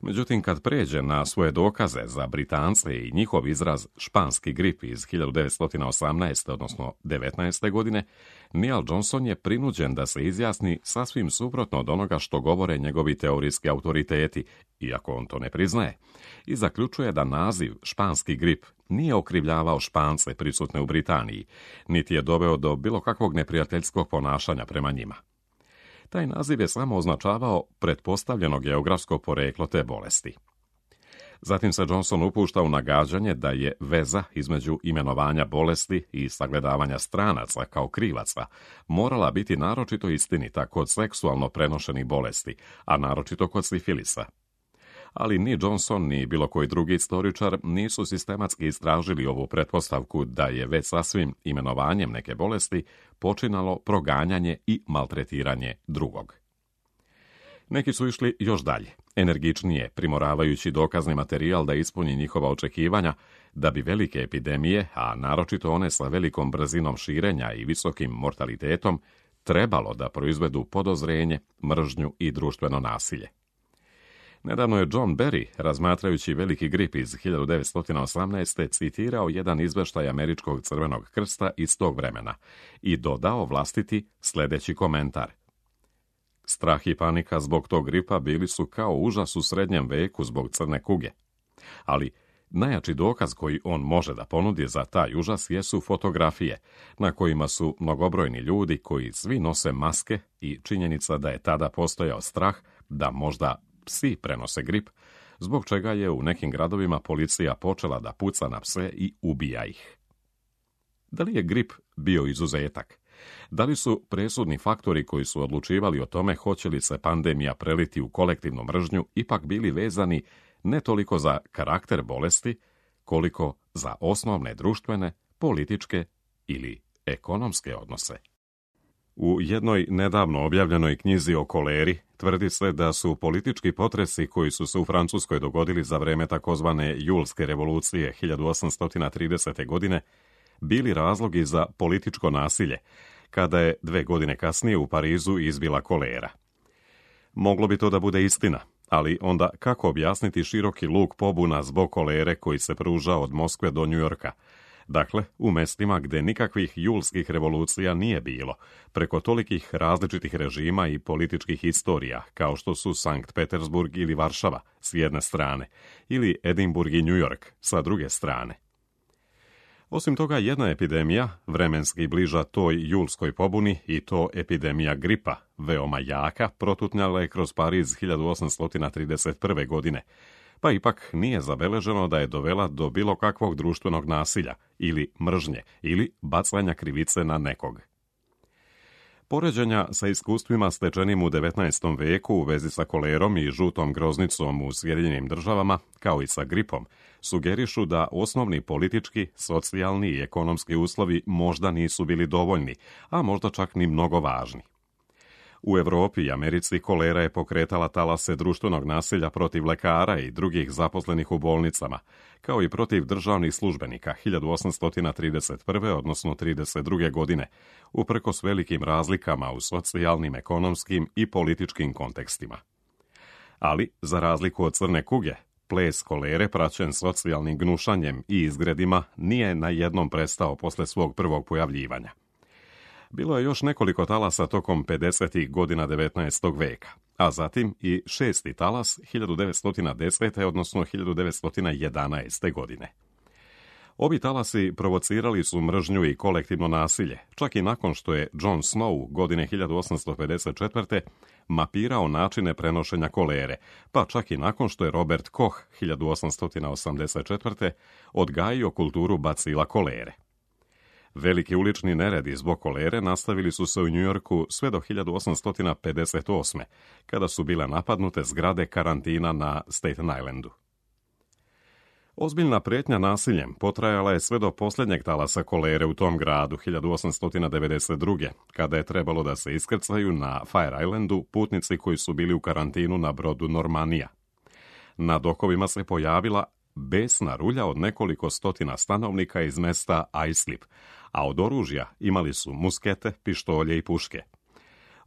Speaker 1: Međutim, kad pređe na svoje dokaze za Britance i njihov izraz španski grip iz 1918. odnosno 19. godine, Neil Johnson je prinuđen da se izjasni sasvim suprotno od onoga što govore njegovi teorijski autoriteti, iako on to ne priznaje, i zaključuje da naziv španski grip nije okrivljavao Špance prisutne u Britaniji, niti je doveo do bilo kakvog neprijateljskog ponašanja prema njima. Taj naziv je samo označavao pretpostavljeno geografsko poreklo te bolesti. Zatim se Johnson upušta u nagađanje da je veza između imenovanja bolesti i sagledavanja stranaca kao krivaca morala biti naročito istinita kod seksualno prenošenih bolesti, a naročito kod sifilisa. Ali ni Johnson ni bilo koji drugi istoričar nisu sistematski istražili ovu pretpostavku da je već sasvim imenovanjem neke bolesti počinalo proganjanje i maltretiranje drugog. Neki su išli još dalje, energičnije, primoravajući dokazni materijal da ispuni njihova očekivanja da bi velike epidemije, a naročito one sa velikom brzinom širenja i visokim mortalitetom, trebalo da proizvedu podozrenje, mržnju i društveno nasilje. Nedavno je John Berry, razmatrajući veliki grip iz 1918. citirao jedan izveštaj Američkog crvenog krsta iz tog vremena i dodao vlastiti sljedeći komentar. Strah i panika zbog tog gripa bili su kao užas u srednjem veku zbog crne kuge. Ali najjači dokaz koji on može da ponudi za taj užas jesu fotografije, na kojima su mnogobrojni ljudi koji svi nose maske i činjenica da je tada postojao strah da možda psi prenose grip, zbog čega je u nekim gradovima policija počela da puca na pse i ubija ih. Da li je grip bio izuzetak? Da li su presudni faktori koji su odlučivali o tome hoće li se pandemija preliti u kolektivnu mržnju ipak bili vezani ne toliko za karakter bolesti, koliko za osnovne društvene, političke ili ekonomske odnose? U jednoj nedavno objavljenoj knjizi o koleri tvrdi se da su politički potresi koji su se u Francuskoj dogodili za vreme takozvane Julske revolucije 1830. godine bili razlogi za političko nasilje, kada je 2 godine kasnije u Parizu izbila kolera. Moglo bi to da bude istina, ali onda kako objasniti široki luk pobuna zbog kolere koji se pruža od Moskve do Njujorka? Dakle, u mestima gde nikakvih julskih revolucija nije bilo, preko tolikih različitih režima i političkih istorija, kao što su Sankt Petersburg ili Varšava s jedne strane, ili Edinburg i New York sa druge strane. Osim toga, jedna epidemija, vremenski bliža toj julskoj pobuni, i to epidemija gripa, veoma jaka, protutnjala je kroz Pariz 1831. godine, pa ipak nije zabeleženo da je dovela do bilo kakvog društvenog nasilja ili mržnje ili bacanja krivice na nekog. Poređenja sa iskustvima stečenim u 19. veku u vezi sa kolerom i žutom groznicom u Sjedinjenim državama, kao i sa gripom, sugerišu da osnovni politički, socijalni i ekonomski uslovi možda nisu bili dovoljni, a možda čak ni mnogo važni. U Europi i Americi kolera je pokretala talase društvenog nasilja protiv lekara i drugih zaposlenih u bolnicama, kao i protiv državnih službenika 1831. odnosno 32. godine, uprkos velikim razlikama u socijalnim, ekonomskim i političkim kontekstima. Ali, za razliku od crne kuge, ples kolere praćen socijalnim gnušanjem i izgredima nije na jednom prestao posle svog prvog pojavljivanja. Bilo je još nekoliko talasa tokom 50. godina 19. veka, a zatim i 6. talas 1910. odnosno 1911. godine. Obi talasi provocirali su mržnju i kolektivno nasilje, čak i nakon što je John Snow godine 1854. mapirao načine prenošenja kolere, pa čak i nakon što je Robert Koch 1884. odgajio kulturu bacila kolere. Veliki ulični neredi zbog kolere nastavili su se u Njujorku sve do 1858. kada su bile napadnute zgrade karantina na Staten Islandu. Ozbiljna prijetnja nasiljem potrajala je sve do posljednjeg talasa kolere u tom gradu 1892. kada je trebalo da se iskrcaju na Fire Islandu putnici koji su bili u karantinu na brodu Normanija. Na dokovima se pojavila besna rulja od nekoliko stotina stanovnika iz mesta Islip, a od oružja imali su muskete, pištolje i puške.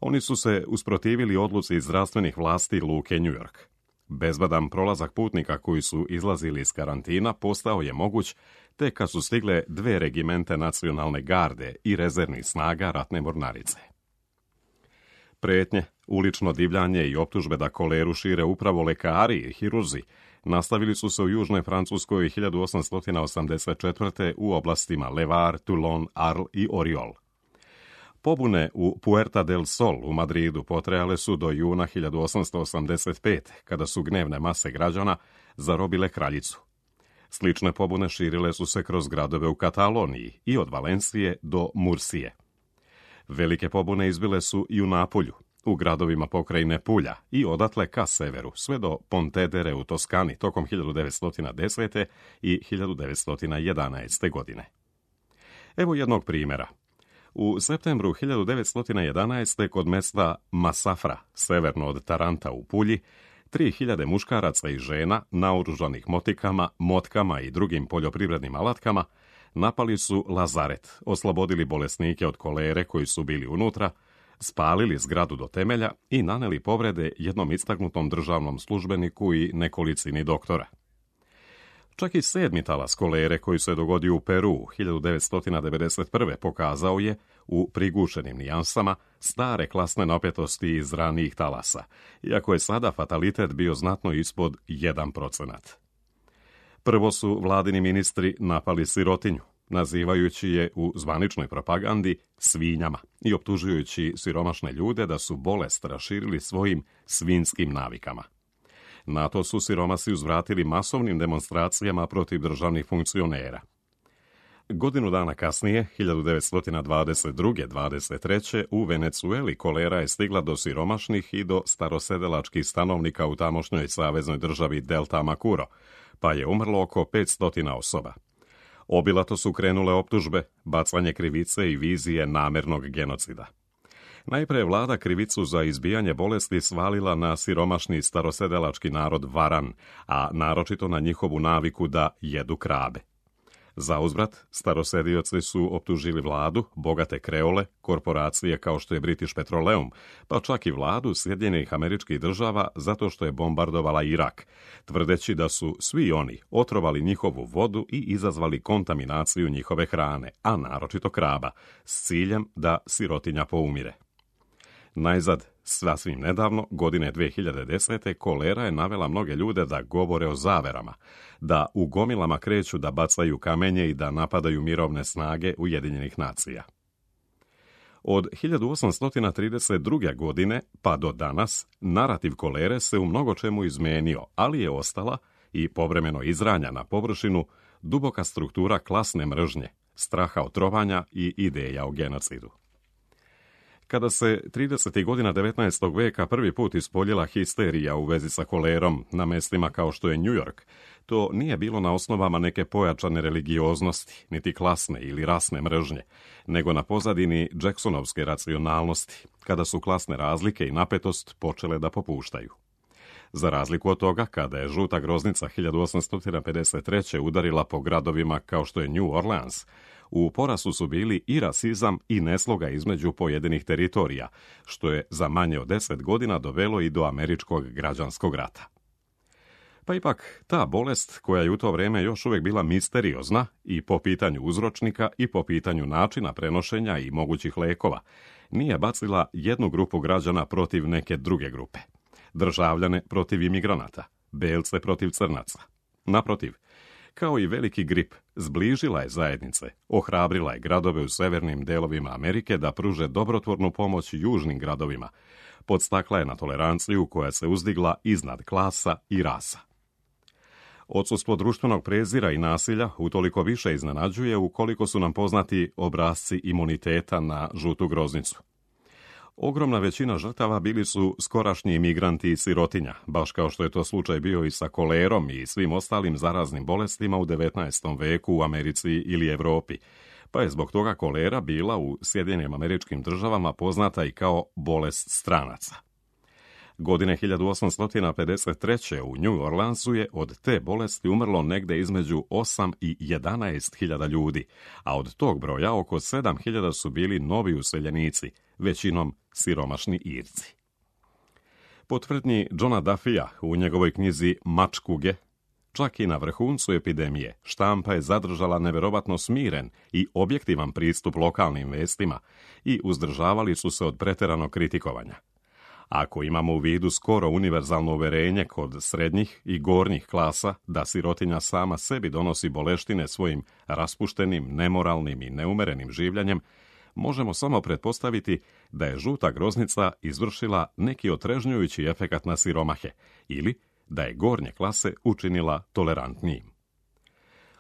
Speaker 1: Oni su se usprotivili odluci zdravstvenih vlasti luke New York. Bezbedan prolazak putnika koji su izlazili iz karantina postao je moguć tek kad su stigle 2 regimente nacionalne garde i rezervnih snaga ratne mornarice. Prijetnje, ulično divljanje i optužbe da koleru šire upravo lekari i hirurzi nastavili su se u južnoj Francuskoj 1884. u oblastima Levar, Toulon, Arles i Oriol. Pobune u Puerta del Sol u Madridu potrajale su do juna 1885. kada su gnevne mase građana zarobile kraljicu. Slične pobune širile su se kroz gradove u Kataloniji i od Valencije do Mursije. Velike pobune izbile su i u Napulju, u gradovima pokrajine Pulja i odatle ka severu, sve do Pontedere u Toskani tokom 1910. i 1911. godine. Evo jednog primjera. U septembru 1911. kod mesta Masafra, severno od Taranta u Pulji, 3000 muškaraca i žena, naoružanih motikama, motkama i drugim poljoprivrednim alatkama, napali su lazaret, oslobodili bolesnike od kolere koji su bili unutra, spalili zgradu do temelja i naneli povrede jednom istaknutom državnom službeniku i nekolicini doktora. Čak i 7. talas kolere koji se dogodio u Peru 1991. pokazao je, u prigušenim nijansama, stare klasne napetosti iz ranijih talasa, iako je sada fatalitet bio znatno ispod 1%. Prvo su vladini ministri napali sirotinju, nazivajući je u zvaničnoj propagandi svinjama i optužujući siromašne ljude da su bolest raširili svojim svinjskim navikama. Na to su siromasi uzvratili masovnim demonstracijama protiv državnih funkcionera. Godinu dana kasnije, 1922-23. u Venecueli kolera je stigla do siromašnih i do starosedelačkih stanovnika u tamošnjoj saveznoj državi Delta Macuro, pa je umrlo oko 500 osoba. Obilato su krenule optužbe, bacanje krivice i vizije namernog genocida. Najprije vlada krivicu za izbijanje bolesti svalila na siromašni starosedelački narod Varan, a naročito na njihovu naviku da jedu krabe. Zauzvrat, starosedioci su optužili vladu, bogate kreole, korporacije kao što je British Petroleum, pa čak i vladu Sjedinjenih Američkih Država zato što je bombardovala Irak, tvrdeći da su svi oni otrovali njihovu vodu i izazvali kontaminaciju njihove hrane, a naročito kraba, s ciljem da sirotinja poumire. Najzad, sasvim nedavno, godine 2010. kolera je navela mnoge ljude da govore o zaverama, da u gomilama kreću da bacaju kamenje i da napadaju mirovne snage Ujedinjenih nacija. Od 1832. godine pa do danas, narativ kolere se u mnogo čemu izmenio, ali je ostala i povremeno izranja na površinu duboka struktura klasne mržnje, straha od trovanja i ideja o genocidu. Kada se 30. godina 19. veka prvi put ispoljila histerija u vezi sa kolerom na mestima kao što je New York, to nije bilo na osnovama neke pojačane religioznosti, niti klasne ili rasne mržnje, nego na pozadini Jacksonovske racionalnosti, kada su klasne razlike i napetost počele da popuštaju. Za razliku od toga, kada je žuta groznica 1853. udarila po gradovima kao što je New Orleans, u porastu su bili i rasizam i nesloga između pojedinih teritorija, što je za manje od 10 godina dovelo i do američkog građanskog rata. Pa ipak, ta bolest, koja je u to vrijeme još uvijek bila misteriozna i po pitanju uzročnika i po pitanju načina prenošenja i mogućih lekova, nije bacila jednu grupu građana protiv neke druge grupe. Državljane protiv imigranata, belce protiv crnaca. Naprotiv, kao i veliki grip, zbližila je zajednice, ohrabrila je gradove u severnim delovima Amerike da pruže dobrotvornu pomoć južnim gradovima, podstakla je na toleranciju koja se uzdigla iznad klasa i rasa. Odsustvo društvenog prezira i nasilja utoliko više iznenađuje ukoliko su nam poznati obrasci imuniteta na žutu groznicu. Ogromna većina žrtava bili su skorašnji imigranti i sirotinja, baš kao što je to slučaj bio i sa kolerom i svim ostalim zaraznim bolestima u 19. veku u Americi ili Europi, pa je zbog toga kolera bila u Sjedinjenim Američkim Državama poznata i kao bolest stranaca. Godine 1853. u New Orleansu je od te bolesti umrlo negde između 8 i 11.000 ljudi, a od tog broja oko 7.000 su bili novi useljenici, većinom siromašni Irci. Po tvrdnji Johna Duffya u njegovoj knjizi Mač kuge, čak i na vrhuncu epidemije, štampa je zadržala neverovatno smiren i objektivan pristup lokalnim vestima i uzdržavali su se od pretjeranog kritikovanja. Ako imamo u vidu skoro univerzalno uverenje kod srednjih i gornjih klasa da sirotinja sama sebi donosi boleštine svojim raspuštenim, nemoralnim i neumerenim življenjem, možemo samo pretpostaviti da je žuta groznica izvršila neki otrežnjujući efekat na siromahe ili da je gornje klase učinila tolerantnijim.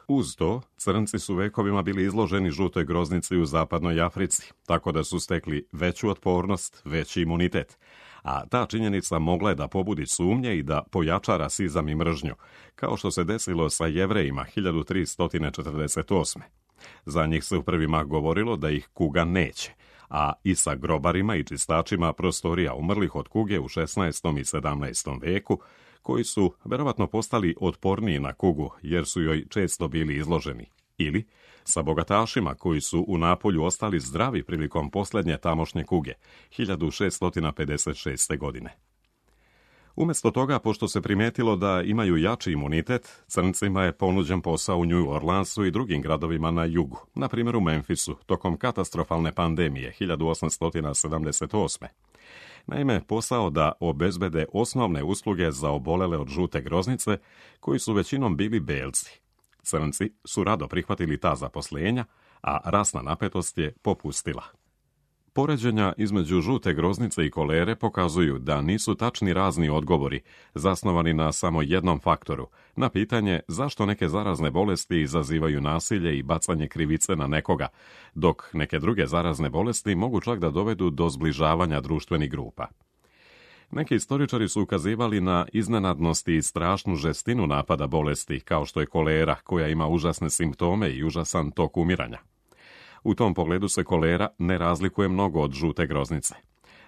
Speaker 1: Uz to, crnci su vekovima bili izloženi žutoj groznici u zapadnoj Africi, tako da su stekli veću otpornost, veći imunitet, a ta činjenica mogla je da pobudi sumnje i da pojača rasizam i mržnju, kao što se desilo sa Jevrejima 1348. Za njih se u prvi mah govorilo da ih kuga neće, a i sa grobarima i čistačima prostorija umrlih od kuge u 16. i 17. veku, koji su verovatno postali otporniji na kugu jer su joj često bili izloženi, ili sa bogatašima koji su u Napolju ostali zdravi prilikom posljednje tamošnje kuge, 1656. godine. Umjesto toga, pošto se primijetilo da imaju jači imunitet, crncima je ponuđen posao u New Orleansu i drugim gradovima na jugu, na primjer u Memphisu, tokom katastrofalne pandemije 1878. Naime, posao da obezbede osnovne usluge za obolele od žute groznice, koji su većinom bili belci. Crnci su rado prihvatili ta zaposlenja, a rasna napetost je popustila. Poređenja između žute groznice i kolere pokazuju da nisu tačni razni odgovori, zasnovani na samo jednom faktoru, na pitanje zašto neke zarazne bolesti izazivaju nasilje i bacanje krivice na nekoga, dok neke druge zarazne bolesti mogu čak da dovedu do zbližavanja društvenih grupa. Neki istoričari su ukazivali na iznenadnosti i strašnu žestinu napada bolesti, kao što je kolera, koja ima užasne simptome i užasan tok umiranja. U tom pogledu se kolera ne razlikuje mnogo od žute groznice.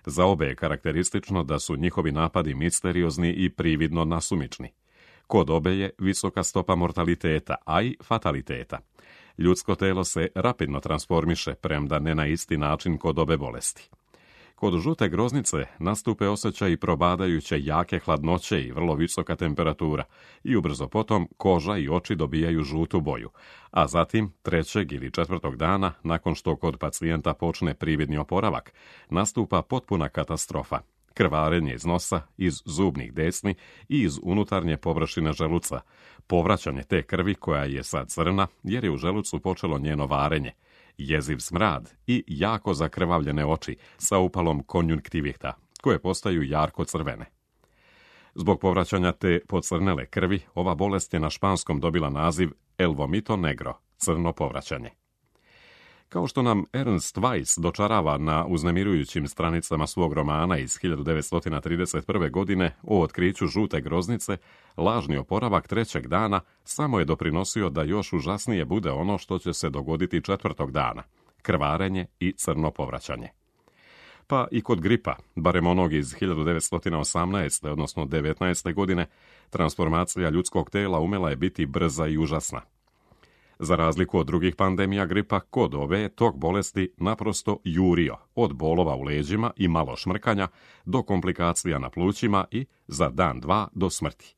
Speaker 1: Za obe je karakteristično da su njihovi napadi misteriozni i prividno nasumični. Kod obe je visoka stopa mortaliteta, a i fataliteta. Ljudsko telo se rapidno transformiše, premda ne na isti način kod obe bolesti. Kod žute groznice nastupe osjećaj probadajuće jake hladnoće i vrlo visoka temperatura i ubrzo potom koža i oči dobijaju žutu boju, a zatim 3. ili 4. dana, nakon što kod pacijenta počne prividni oporavak, nastupa potpuna katastrofa. Krvarenje iz nosa, iz zubnih desni i iz unutarnje površine želuca, povraćanje te krvi koja je sad crna jer je u želucu počelo njeno varenje, jeziv smrad i jako zakrvavljene oči sa upalom konjunktivita, koje postaju jarko crvene. Zbog povraćanja te pocrnele krvi, ova bolest je na španskom dobila naziv el vomito negro, crno povraćanje. Kao što nam Ernst Weiss dočarava na uznemirujućim stranicama svog romana iz 1931. godine o otkriću žute groznice, lažni oporavak 3. dana samo je doprinosio da još užasnije bude ono što će se dogoditi 4. dana, krvarenje i crno povraćanje. Pa i kod gripa, barem onog iz 1918. odnosno 19. godine, transformacija ljudskog tela umela je biti brza i užasna. Za razliku od drugih pandemija gripa, kod ove je tok bolesti naprosto jurio, od bolova u leđima i malo šmrkanja do komplikacija na plućima i za dan, dva do smrti.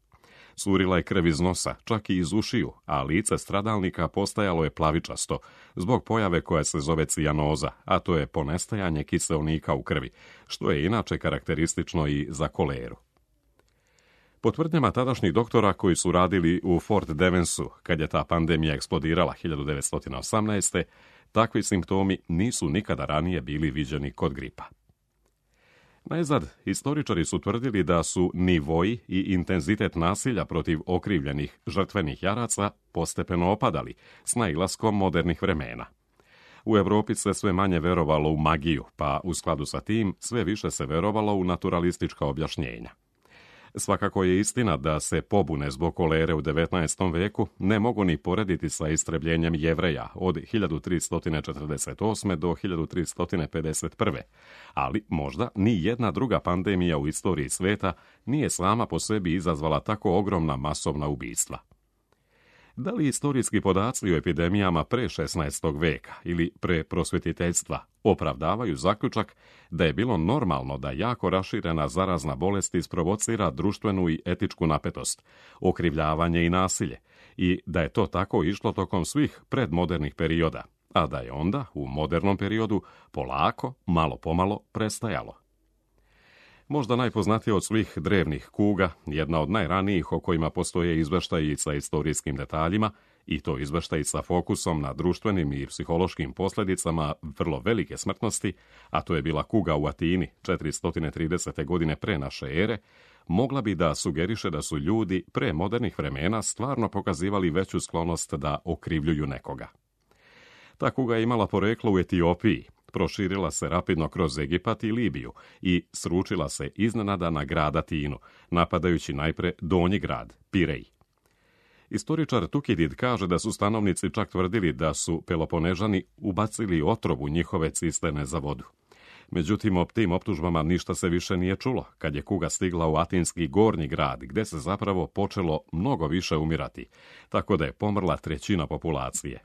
Speaker 1: Curila je krv iz nosa, čak i iz ušiju, a lice stradalnika postajalo je plavičasto, zbog pojave koja se zove cijanoza, a to je ponestajanje kiseonika u krvi, što je inače karakteristično i za koleru. Po tvrdnjama tadašnjih doktora koji su radili u Fort Devensu, kad je ta pandemija eksplodirala 1918. takvi simptomi nisu nikada ranije bili viđeni kod gripa. Najzad, historičari su tvrdili da su nivoi i intenzitet nasilja protiv okrivljenih žrtvenih jaraca postepeno opadali s nailaskom modernih vremena. U Europi se sve manje verovalo u magiju, pa u skladu sa tim sve više se verovalo u naturalistička objašnjenja. Svakako je istina da se pobune zbog kolere u 19. veku ne mogu ni porediti sa istrebljenjem Jevreja od 1348. do 1351. Ali možda ni jedna druga pandemija u istoriji sveta nije sama po sebi izazvala tako ogromna masovna ubistva. Da li istorijski podaci o epidemijama pre 16. veka ili pre prosvjetiteljstva opravdavaju zaključak da je bilo normalno da jako raširena zarazna bolest isprovocira društvenu i etičku napetost, okrivljavanje i nasilje, i da je to tako išlo tokom svih predmodernih perioda, a da je onda, u modernom periodu, polako, malo pomalo, prestajalo. Možda najpoznatija od svih drevnih kuga, jedna od najranijih o kojima postoje izveštaji sa istorijskim detaljima, i to izveštaji sa fokusom na društvenim i psihološkim posljedicama vrlo velike smrtnosti, a to je bila kuga u Atini 430. godine pre naše ere, mogla bi da sugeriše da su ljudi pre modernih vremena stvarno pokazivali veću sklonost da okrivljuju nekoga. Ta kuga je imala poreklo u Etiopiji, proširila se rapidno kroz Egipat i Libiju i sručila se iznenada na grad Atinu, napadajući najpre donji grad, Pirej. Istoričar Tukidid kaže da su stanovnici čak tvrdili da su Peloponežani ubacili otrov u njihove cisterne za vodu. Međutim, o tim optužbama ništa se više nije čulo, kad je kuga stigla u atinski gornji grad, gde se zapravo počelo mnogo više umirati, tako da je pomrla trećina populacije.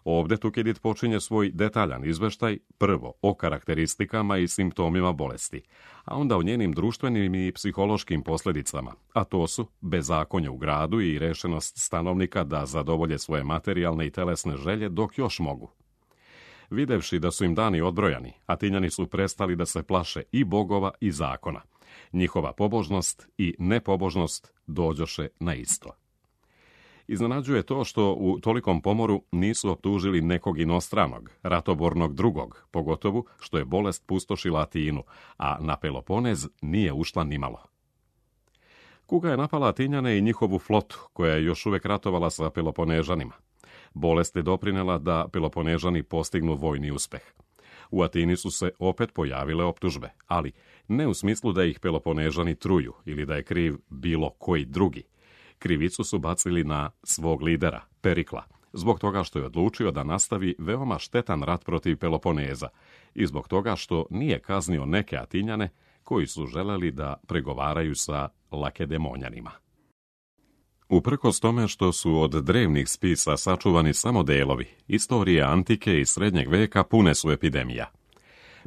Speaker 1: Ovdje Tukidid počinje svoj detaljan izveštaj, prvo o karakteristikama i simptomima bolesti, a onda o njenim društvenim i psihološkim posljedicama, a to su bezakonje u gradu i rešenost stanovnika da zadovolje svoje materijalne i telesne želje dok još mogu. Videvši da su im dani odbrojani, Atinjani su prestali da se plaše i bogova i zakona. Njihova pobožnost i nepobožnost dođoše na isto. Iznenađuje to što u tolikom pomoru nisu optužili nekog inostranog, ratobornog drugog, pogotovo što je bolest pustošila Atinu, a na Peloponez nije ušla nimalo. Kuga je napala Atinjane i njihovu flotu, koja je još uvek ratovala sa Peloponežanima. Bolest je doprinela da Peloponežani postignu vojni uspeh. U Atini su se opet pojavile optužbe, ali ne u smislu da ih Peloponežani truju ili da je kriv bilo koji drugi. Krivicu su bacili na svog lidera, Perikla, zbog toga što je odlučio da nastavi veoma štetan rat protiv Peloponeza i zbog toga što nije kaznio neke Atinjane koji su želeli da pregovaraju sa Lakedemonjanima. Uprkos tome što su od drevnih spisa sačuvani samo delovi, istorije antike i srednjeg veka pune su epidemija.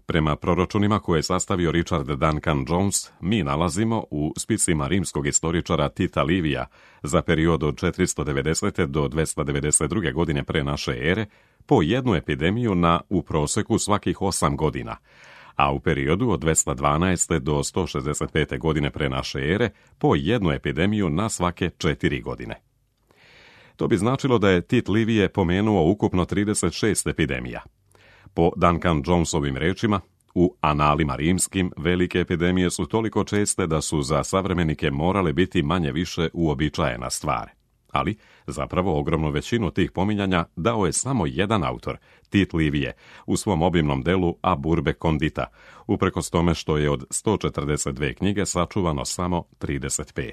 Speaker 1: Prema proročunima koje je sastavio Richard Duncan Jones, mi nalazimo u spisima rimskog istoričara Tita Livija za period od 490. do 292. godine pre naše ere po jednu epidemiju na u proseku svakih 8 godina, a u periodu od 212. do 165. godine pre naše ere po jednu epidemiju na svake 4 godine. To bi značilo da je Tit Livije pomenuo ukupno 36 epidemija. Po Duncan Jonesovim rečima, u analima rimskim velike epidemije su toliko česte da su za savremenike morale biti manje više uobičajena stvar. Ali, zapravo, ogromnu većinu tih pominjanja dao je samo jedan autor, Tit Livije, u svom obimnom delu Ab urbe condita, uprkos tome što je od 142 knjige sačuvano samo 35.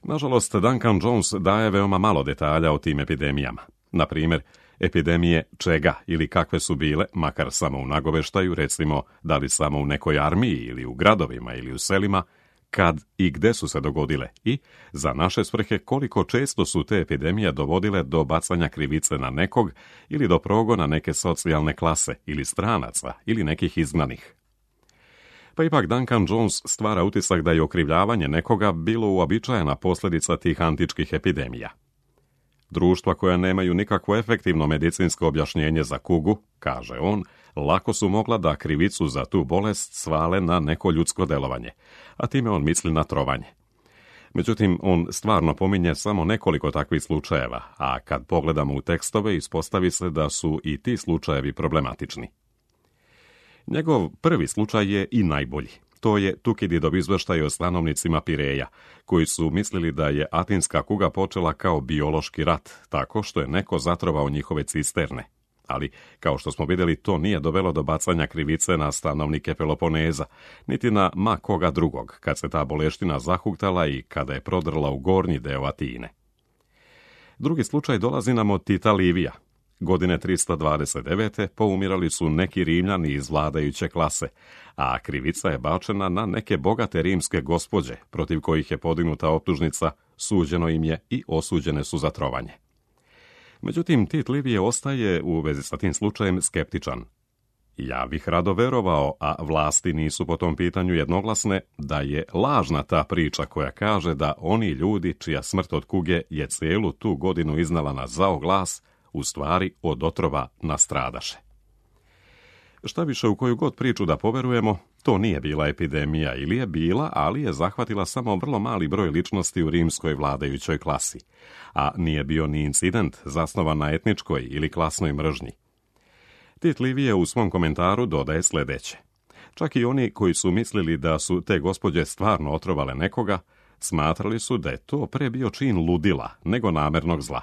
Speaker 1: Nažalost, Duncan Jones daje veoma malo detalja o tim epidemijama. Na primjer, epidemije čega ili kakve su bile, makar samo u nagoveštaju, recimo da li samo u nekoj armiji ili u gradovima ili u selima, kad i gde su se dogodile i, za naše svrhe, koliko često su te epidemije dovodile do bacanja krivice na nekog ili do progona neke socijalne klase ili stranaca ili nekih izgnanih. Pa ipak Duncan Jones stvara utisak da je okrivljavanje nekoga bilo uobičajena posljedica tih antičkih epidemija. Društva koja nemaju nikakvo efektivno medicinsko objašnjenje za kugu, kaže on, lako su mogla da krivicu za tu bolest svale na neko ljudsko delovanje, a time on misli na trovanje. Međutim, on stvarno pominje samo nekoliko takvih slučajeva, a kad pogledamo u tekstove ispostavi se da su i ti slučajevi problematični. Njegov prvi slučaj je i najbolji. To je Tukididov izveštaj o stanovnicima Pireja, koji su mislili da je atinska kuga počela kao biološki rat, tako što je neko zatrovao njihove cisterne. Ali, kao što smo vidjeli, to nije dovelo do bacanja krivice na stanovnike Peloponeza, niti na ma koga drugog, kad se ta boleština zahuktala i kada je prodrla u gornji deo Atine. Drugi slučaj dolazi nam od Tita Livija. Godine 329. poumirali su neki Rimljani iz vladajuće klase, a krivica je bačena na neke bogate rimske gospođe, protiv kojih je podignuta optužnica suđeno im je i osuđene su za trovanje. Međutim, Tit Livije ostaje u vezi sa tim slučajem skeptičan. Ja bih rado verovao, a vlasti nisu po tom pitanju jednoglasne, da je lažna ta priča koja kaže da oni ljudi čija smrt od kuge je cijelu tu godinu iznala na zao glas, u stvari od otrova nastradaše. Šta više, u koju god priču da poverujemo, to nije bila epidemija ili je bila, ali je zahvatila samo vrlo mali broj ličnosti u rimskoj vladajućoj klasi, a nije bio ni incident zasnovan na etničkoj ili klasnoj mržnji. Tit Livije u svom komentaru dodaje sljedeće. Čak i oni koji su mislili da su te gospođe stvarno otrovale nekoga, smatrali su da je to pre bio čin ludila nego namernog zla.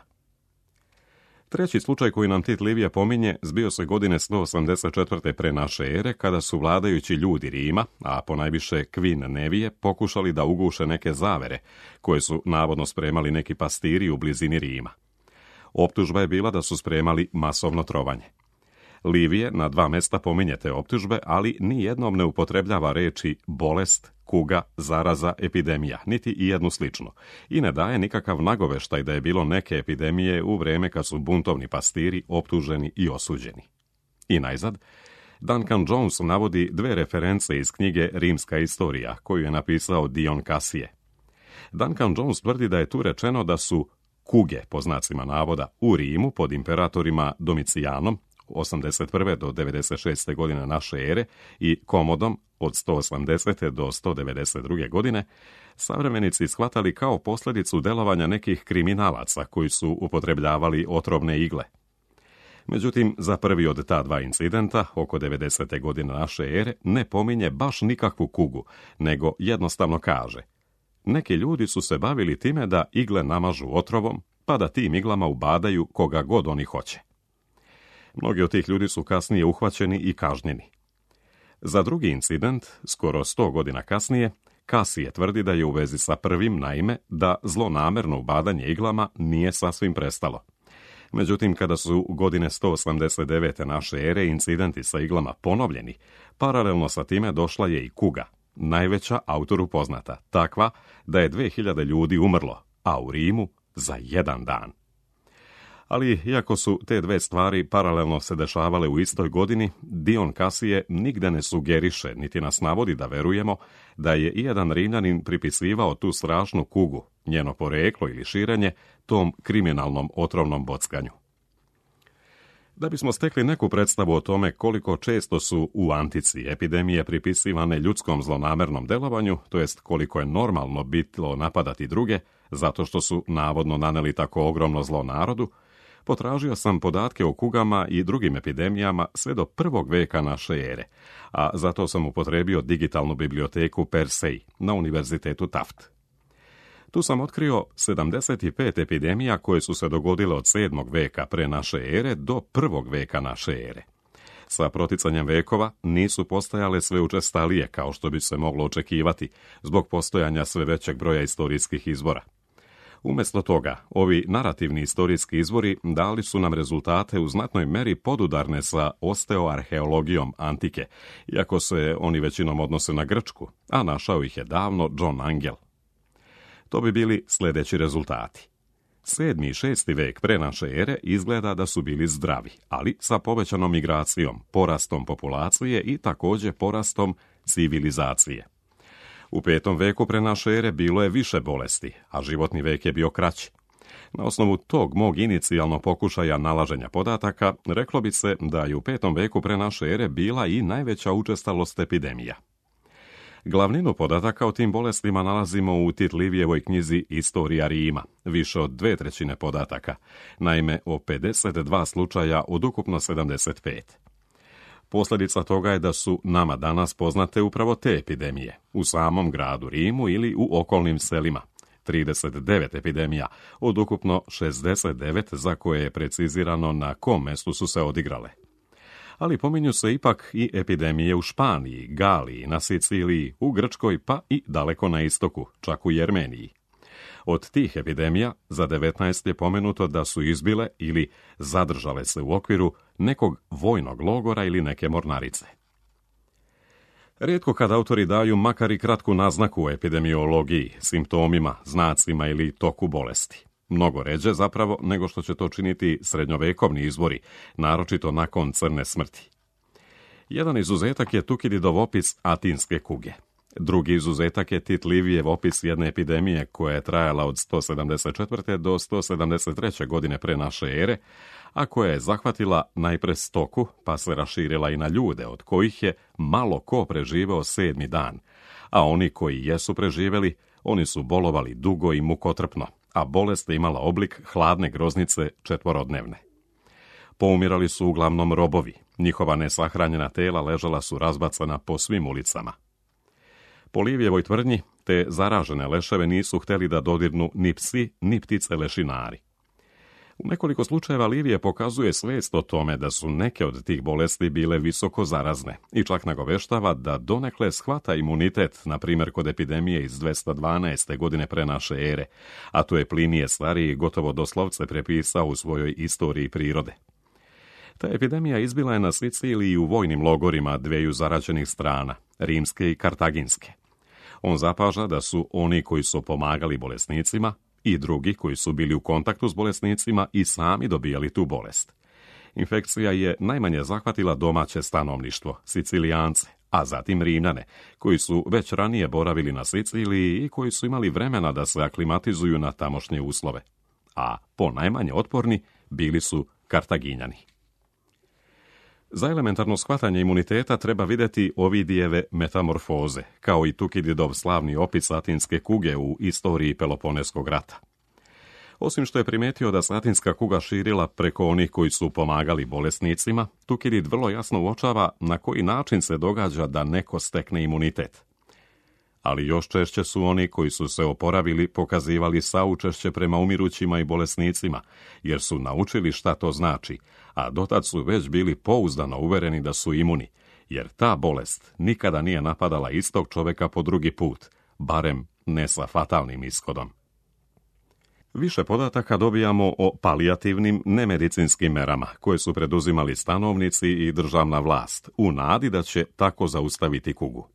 Speaker 1: Treći slučaj koji nam Tit Livije pominje zbio se godine 184. pre naše ere, kada su vladajući ljudi Rima, a ponajviše Queen Nevije, pokušali da uguše neke zavere koje su navodno spremali neki pastiri u blizini Rima. Optužba je bila da su spremali masovno trovanje. Livije na 2 mesta pominje te optužbe, ali ni jednom ne upotrebljava reči bolest, kuga, zaraza, epidemija, niti i jednu sličnu, i ne daje nikakav nagoveštaj da je bilo neke epidemije u vreme kad su buntovni pastiri optuženi i osuđeni. I najzad, Duncan Jones navodi 2 reference iz knjige Rimska istorija, koju je napisao Dion Casije. Duncan Jones tvrdi da je tu rečeno da su kuge, po znacima navoda, u Rimu pod imperatorima Domicijanom, 81. do 96. godine naše ere i Komodom od 180. do 192. godine, savremenici shvatali kao posljedicu delovanja nekih kriminalaca koji su upotrebljavali otrovne igle. Međutim, za prvi od ta 2 incidenta, oko 90. godine naše ere, ne pominje baš nikakvu kugu, nego jednostavno kaže: neki ljudi su se bavili time da igle namažu otrovom, pa da tim iglama ubadaju koga god oni hoće. Mnogi od tih ljudi su kasnije uhvaćeni i kažnjeni. Za drugi incident, skoro 100 godina kasnije, Casije tvrdi da je u vezi sa prvim, naime, da zlonamerno ubadanje iglama nije sasvim prestalo. Međutim, kada su godine 189. naše ere incidenti sa iglama ponovljeni, paralelno sa time došla je i kuga, najveća autoru poznata, takva da je 2000 ljudi umrlo, a u Rimu za 1 dan. Ali, iako su te 2 stvari paralelno se dešavale u istoj godini, Dion Casije nigde ne sugeriše, niti nas navodi da verujemo, da je ijedan Rimljanin pripisivao tu strašnu kugu, njeno poreklo ili širenje, tom kriminalnom otrovnom bockanju. Da bismo stekli neku predstavu o tome koliko često su u antici epidemije pripisivane ljudskom zlonamernom delovanju, to jest koliko je normalno bilo napadati druge, zato što su navodno naneli tako ogromno zlo narodu, potražio sam podatke o kugama i drugim epidemijama sve do 1. veka naše ere, a zato sam upotrebio digitalnu biblioteku Persej na Univerzitetu Taft. Tu sam otkrio 75 epidemija koje su se dogodile od 7. veka pre naše ere do 1. veka naše ere. Sa proticanjem vekova nisu postajale sve učestalije kao što bi se moglo očekivati zbog postojanja sve većeg broja istorijskih izvora. Umjesto toga, ovi narativni istorijski izvori dali su nam rezultate u znatnoj meri podudarne sa osteoarheologijom antike, iako se oni većinom odnose na Grčku, a našao ih je davno John Angel. To bi bili sljedeći rezultati. 7. i 6. vek pre naše ere izgleda da su bili zdravi, ali sa povećanom migracijom, porastom populacije i također porastom civilizacije. U 5. veku pre naše ere bilo je više bolesti, a životni vek je bio kraći. Na osnovu tog mog inicijalno pokušaja nalaženja podataka, reklo bi se da je u 5. veku pre naše ere bila i najveća učestalost epidemija. Glavninu podataka o tim bolestima nalazimo u Tit Livijevoj knjizi Istorija Rima, više od 2/3 podataka, naime o 52 slučaja od ukupno 75. Posljedica toga je da su nama danas poznate upravo te epidemije, u samom gradu Rimu ili u okolnim selima, 39 epidemija od ukupno 69 za koje je precizirano na kom mestu su se odigrale. Ali pominju se ipak i epidemije u Španiji, Galiji, na Siciliji, u Grčkoj pa i daleko na istoku, čak u Jermeniji. Od tih epidemija za 19 je pomenuto da su izbile ili zadržale se u okviru nekog vojnog logora ili neke mornarice. Rijetko kad autori daju makar i kratku naznaku o epidemiologiji, simptomima, znacima ili toku bolesti. Mnogo ređe zapravo nego što će to činiti srednjovekovni izvori, naročito nakon crne smrti. Jedan izuzetak je Tukididov opis atinske kuge. Drugi izuzetak je Tit Livijev opis jedne epidemije koja je trajala od 174. do 173. godine pre naše ere, a koja je zahvatila najpre stoku, pa se raširila i na ljude, od kojih je malo ko preživeo 7. dan, a oni koji jesu preživeli, oni su bolovali dugo i mukotrpno, a bolest je imala oblik hladne groznice 4-dnevne. Poumirali su uglavnom robovi, njihova nesahranjena tela ležala su razbacana po svim ulicama. Po Livijevoj tvrdnji, te zaražene leševe nisu hteli da dodirnu ni psi, ni ptice lešinari. U nekoliko slučajeva Livije pokazuje svest o tome da su neke od tih bolesti bile visoko zarazne i čak nagoveštava da donekle shvata imunitet, na primjer kod epidemije iz 212. godine pre naše ere, a to je Plinije Stariji gotovo doslovce prepisao u svojoj istoriji prirode. Ta epidemija izbila je na Siciliji u vojnim logorima dveju zarađenih strana, rimske i kartaginske. On zapaža da su oni koji su pomagali bolesnicima i drugi koji su bili u kontaktu s bolesnicima i sami dobijali tu bolest. Infekcija je najmanje zahvatila domaće stanovništvo, Sicilijance, a zatim Rimljane, koji su već ranije boravili na Siciliji i koji su imali vremena da se aklimatizuju na tamošnje uslove. A ponajmanje otporni bili su Kartaginjani. Za elementarno shvatanje imuniteta treba vidjeti Ovidijeve metamorfoze, kao i Tukididov slavni opis atinske kuge u istoriji Peloponeskog rata. Osim što je primijetio da se atinska kuga širila preko onih koji su pomagali bolesnicima, Tukidid vrlo jasno uočava na koji način se događa da neko stekne imunitet. Ali još češće su oni koji su se oporavili pokazivali saučešće prema umirućima i bolesnicima, jer su naučili šta to znači, a dotad su već bili pouzdano uvereni da su imuni, jer ta bolest nikada nije napadala istog čoveka po drugi put, barem ne sa fatalnim ishodom. Više podataka dobijamo o palijativnim nemedicinskim merama koje su preduzimali stanovnici i državna vlast, u nadi da će tako zaustaviti kugu.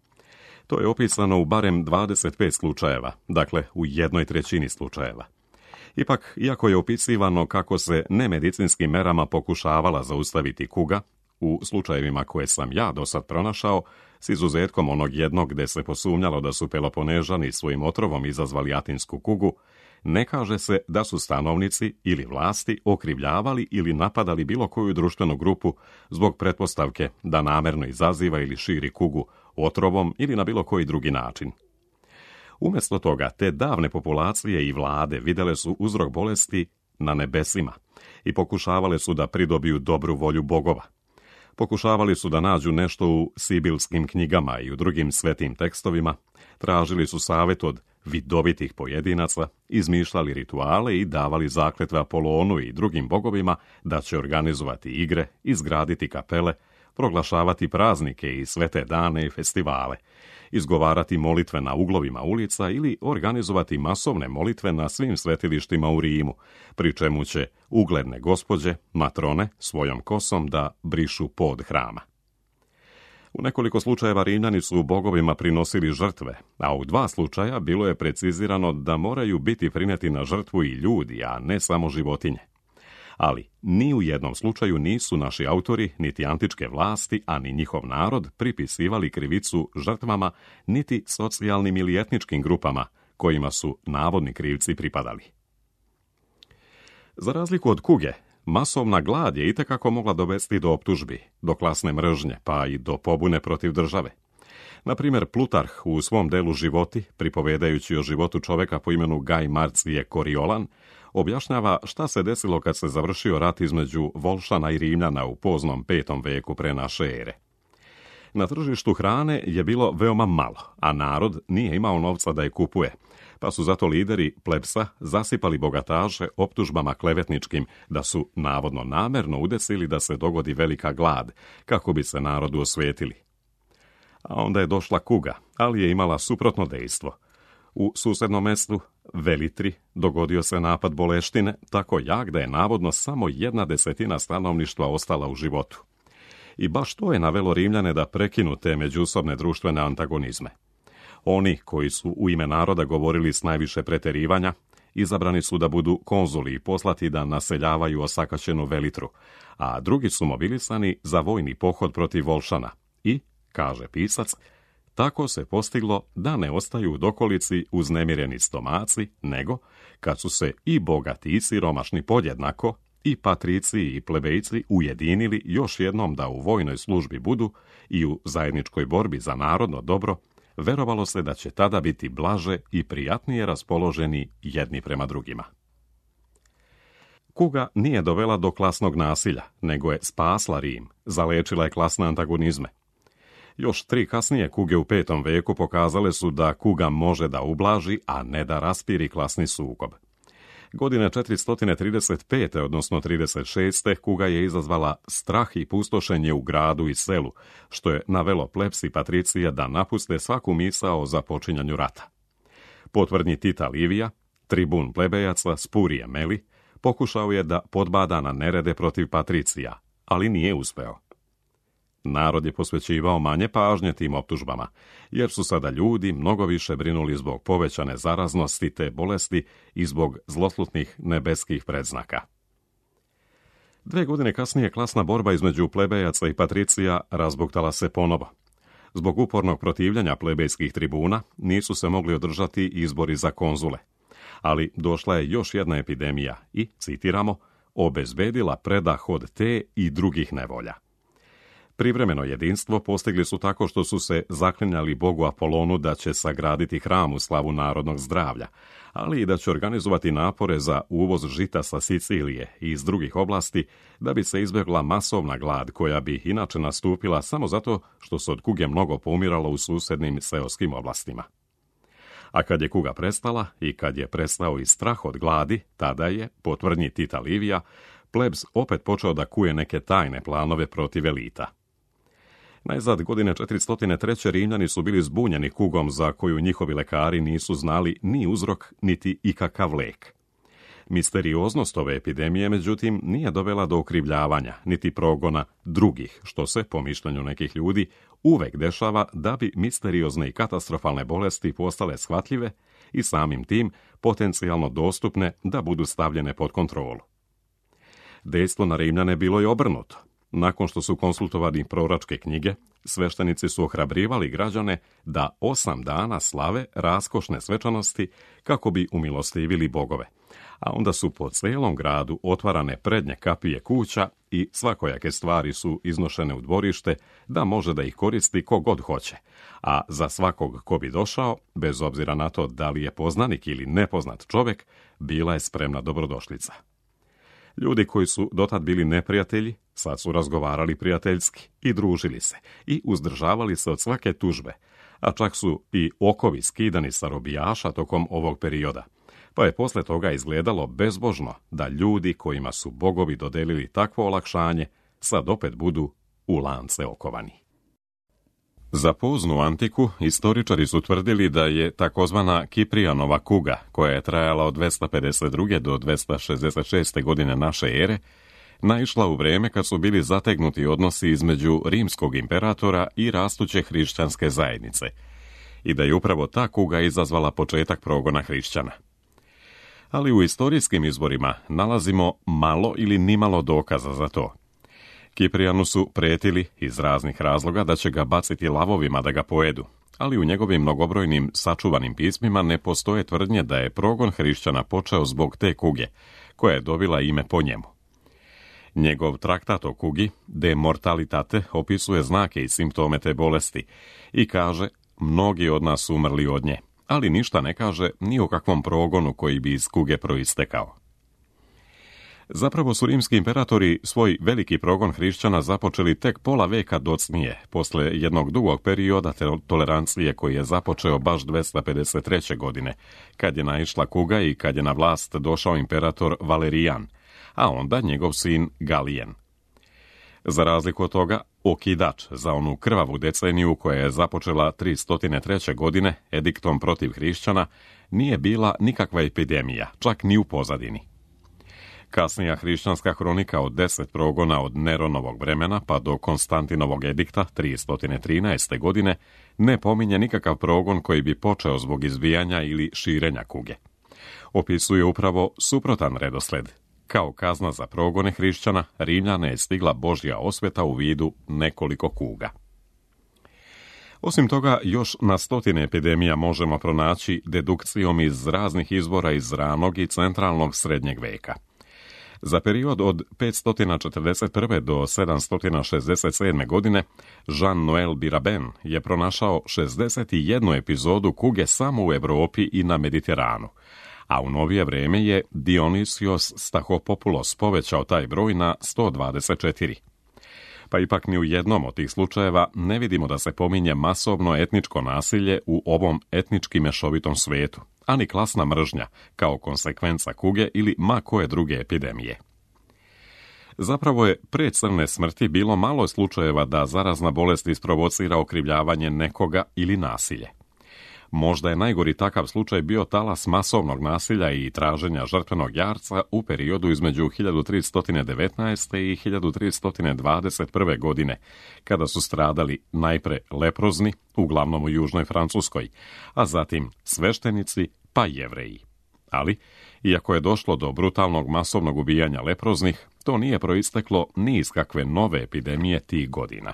Speaker 1: To je opisano u barem 25 slučajeva, dakle u 1/3 slučajeva. Ipak, iako je opisivano kako se nemedicinskim merama pokušavala zaustaviti kuga, u slučajevima koje sam ja do sad pronašao, s izuzetkom onog jednog gde se posumnjalo da su Peloponežani svojim otrovom izazvali atinsku kugu, ne kaže se da su stanovnici ili vlasti okrivljavali ili napadali bilo koju društvenu grupu zbog pretpostavke da namerno izaziva ili širi kugu otrovom ili na bilo koji drugi način. Umjesto toga, te davne populacije i vlade vidjele su uzrok bolesti na nebesima i pokušavale su da pridobiju dobru volju bogova. Pokušavali su da nađu nešto u sibilskim knjigama i u drugim svetim tekstovima, tražili su savjet od vidovitih pojedinaca, izmišljali rituale i davali zakletve Apolonu i drugim bogovima da će organizovati igre, izgraditi kapele, proglašavati praznike i svete dane i festivale, izgovarati molitve na uglovima ulica ili organizovati masovne molitve na svim svetilištima u Rimu, pri čemu će ugledne gospođe, matrone, svojom kosom da brišu pod hrama. U nekoliko slučajeva Rimljani su bogovima prinosili žrtve, a u 2 slučaja bilo je precizirano da moraju biti prineti na žrtvu i ljudi, a ne samo životinje. Ali ni u jednom slučaju nisu naši autori, niti antičke vlasti, a ni njihov narod pripisivali krivicu žrtvama, niti socijalnim ili etničkim grupama, kojima su navodni krivci pripadali. Za razliku od kuge, masovna glad je itekako mogla dovesti do optužbi, do klasne mržnje, pa i do pobune protiv države. Na primjer, Plutarh u svom delu Životi, pripovedajući o životu čoveka po imenu Gaj Marcije Koriolan, objašnjava šta se desilo kad se završio rat između Volšana i Rimljana u poznom 5. veku pre naše ere. Na tržištu hrane je bilo veoma malo, a narod nije imao novca da je kupuje, pa su zato lideri plebsa zasipali bogataše optužbama klevetničkim da su navodno namerno udesili da se dogodi velika glad, kako bi se narodu osvetili. A onda je došla kuga, ali je imala suprotno dejstvo. U susednom mestu, Velitri, dogodio se napad boleštine, tako jak da je navodno samo 1/10 stanovništva ostala u životu. I baš to je navelo Rimljane da prekinu te međusobne društvene antagonizme. Oni koji su u ime naroda govorili s najviše preterivanja, izabrani su da budu konzuli i poslati da naseljavaju osakaćenu Velitru, a drugi su mobilisani za vojni pohod protiv Volšana. I, kaže pisac, tako se postiglo da ne ostaju u dokolici uznemireni stomaci, nego, kad su se i bogati i siromašni podjednako, i patrici i plebejci ujedinili još jednom da u vojnoj službi budu i u zajedničkoj borbi za narodno dobro, verovalo se da će tada biti blaže i prijatnije raspoloženi jedni prema drugima. Kuga nije dovela do klasnog nasilja, nego je spasla Rim, zalečila je klasne antagonizme. Još 3 kasnije kuge u 5. veku pokazale su da kuga može da ublaži, a ne da raspiri klasni sukob. Godine 435. odnosno 36. kuga je izazvala strah i pustošenje u gradu i selu, što je navelo plebs i patricije da napuste svaku misao o započinjanju rata. Po tvrdnji Tita Livija, tribun plebejaca Spurije Meli pokušao je da podbada na nerede protiv patricija, ali nije uspeo. Narod je posvećivao manje pažnje tim optužbama, jer su sada ljudi mnogo više brinuli zbog povećane zaraznosti te bolesti i zbog zloslutnih nebeskih predznaka. 2 godine kasnije klasna borba između plebejaca i patricija razbuktala se ponovo. Zbog upornog protivljenja plebejskih tribuna nisu se mogli održati izbori za konzule. Ali došla je još jedna epidemija i, citiramo, obezbedila predah od te i drugih nevolja. Privremeno jedinstvo postigli su tako što su se zaklinjali bogu Apolonu da će sagraditi hram u slavu narodnog zdravlja, ali i da će organizovati napore za uvoz žita sa Sicilije i iz drugih oblasti da bi se izbjegla masovna glad koja bi inače nastupila samo zato što se od kuge mnogo poumiralo u susednim seoskim oblastima. A kad je kuga prestala i kad je prestao i strah od gladi, tada je, po tvrdnji Tita Livija, plebs opet počeo da kuje neke tajne planove protiv elita. Najzad godine 403. Rimljani su bili zbunjeni kugom za koju njihovi lekari nisu znali ni uzrok, niti ikakav lek. Misterioznost ove epidemije, međutim, nije dovela do okrivljavanja, niti progona drugih, što se, po mišljenju nekih ljudi, uvek dešava da bi misteriozne i katastrofalne bolesti postale shvatljive i samim tim potencijalno dostupne da budu stavljene pod kontrolu. Dejstvo na Rimljane bilo je obrnuto. Nakon što su konsultovani proročke knjige, sveštenici su ohrabrivali građane da 8 dana slave raskošne svečanosti kako bi umilostivili bogove, a onda su po celom gradu otvarane prednje kapije kuća i svakojake stvari su iznošene u dvorište da može da ih koristi ko god hoće, a za svakog ko bi došao, bez obzira na to da li je poznanik ili nepoznat čovjek, bila je spremna dobrodošlica. Ljudi koji su dotad bili neprijatelji, sad su razgovarali prijateljski i družili se i uzdržavali se od svake tužbe, a čak su i okovi skidani sa robijaša tokom ovog perioda, pa je posle toga izgledalo bezbožno da ljudi kojima su bogovi dodelili takvo olakšanje sad opet budu u lance okovani. Za poznu antiku istoričari su tvrdili da je takozvana Kiprijanova kuga, koja je trajala od 252. do 266. godine naše ere, naišla u vreme kad su bili zategnuti odnosi između rimskog imperatora i rastuće hrišćanske zajednice, i da je upravo ta kuga izazvala početak progona hrišćana. Ali u istorijskim izvorima nalazimo malo ili nimalo dokaza za to. Kiprijanu su pretili iz raznih razloga da će ga baciti lavovima da ga pojedu, ali u njegovim mnogobrojnim sačuvanim pismima ne postoje tvrdnje da je progon hrišćana počeo zbog te kuge, koja je dobila ime po njemu. Njegov traktat o kugi, De Mortalitate, opisuje znake i simptome te bolesti i kaže, mnogi od nas su umrli od nje, ali ništa ne kaže ni o kakvom progonu koji bi iz kuge proistekao. Zapravo su rimski imperatori svoj veliki progon hrišćana započeli tek pola veka docnije, posle jednog dugog perioda tolerancije koji je započeo baš 253. godine, kad je naišla kuga i kad je na vlast došao imperator Valerijan, a onda njegov sin Galijen. Za razliku od toga, okidač za onu krvavu deceniju koja je započela 303. godine ediktom protiv hrišćana nije bila nikakva epidemija, čak ni u pozadini. Kasnija hrišćanska hronika od 10 progona od Neronovog vremena pa do Konstantinovog edikta 313. godine ne pominje nikakav progon koji bi počeo zbog izbijanja ili širenja kuge. Opisuje upravo suprotan redosled. Kao kazna za progone hrišćana, Rimljane je stigla Božja osveta u vidu nekoliko kuga. Osim toga, još na stotine epidemija možemo pronaći dedukcijom iz raznih izvora iz ranog i centralnog srednjeg veka. Za period od 541. do 767. godine Jean-Noël Biraben je pronašao 61 epizodu kuge samo u Europi i na Mediteranu, a u novije vrijeme je Dionysios Stachopoulos povećao taj broj na 124. Pa ipak ni u jednom od tih slučajeva ne vidimo da se pominje masovno etničko nasilje u ovom etnički mešovitom svijetu, ani klasna mržnja kao konsekvenca kuge ili ma koje druge epidemije. Zapravo je pre crne smrti bilo malo slučajeva da zarazna bolest isprovocira okrivljavanje nekoga ili nasilje. Možda je najgori takav slučaj bio talas masovnog nasilja i traženja žrtvenog jarca u periodu između 1319. i 1321. godine, kada su stradali najpre leprozni, uglavnom u južnoj Francuskoj, a zatim sveštenici pa Jevreji. Ali, iako je došlo do brutalnog masovnog ubijanja leproznih, to nije proisteklo ni iz kakve nove epidemije tih godina.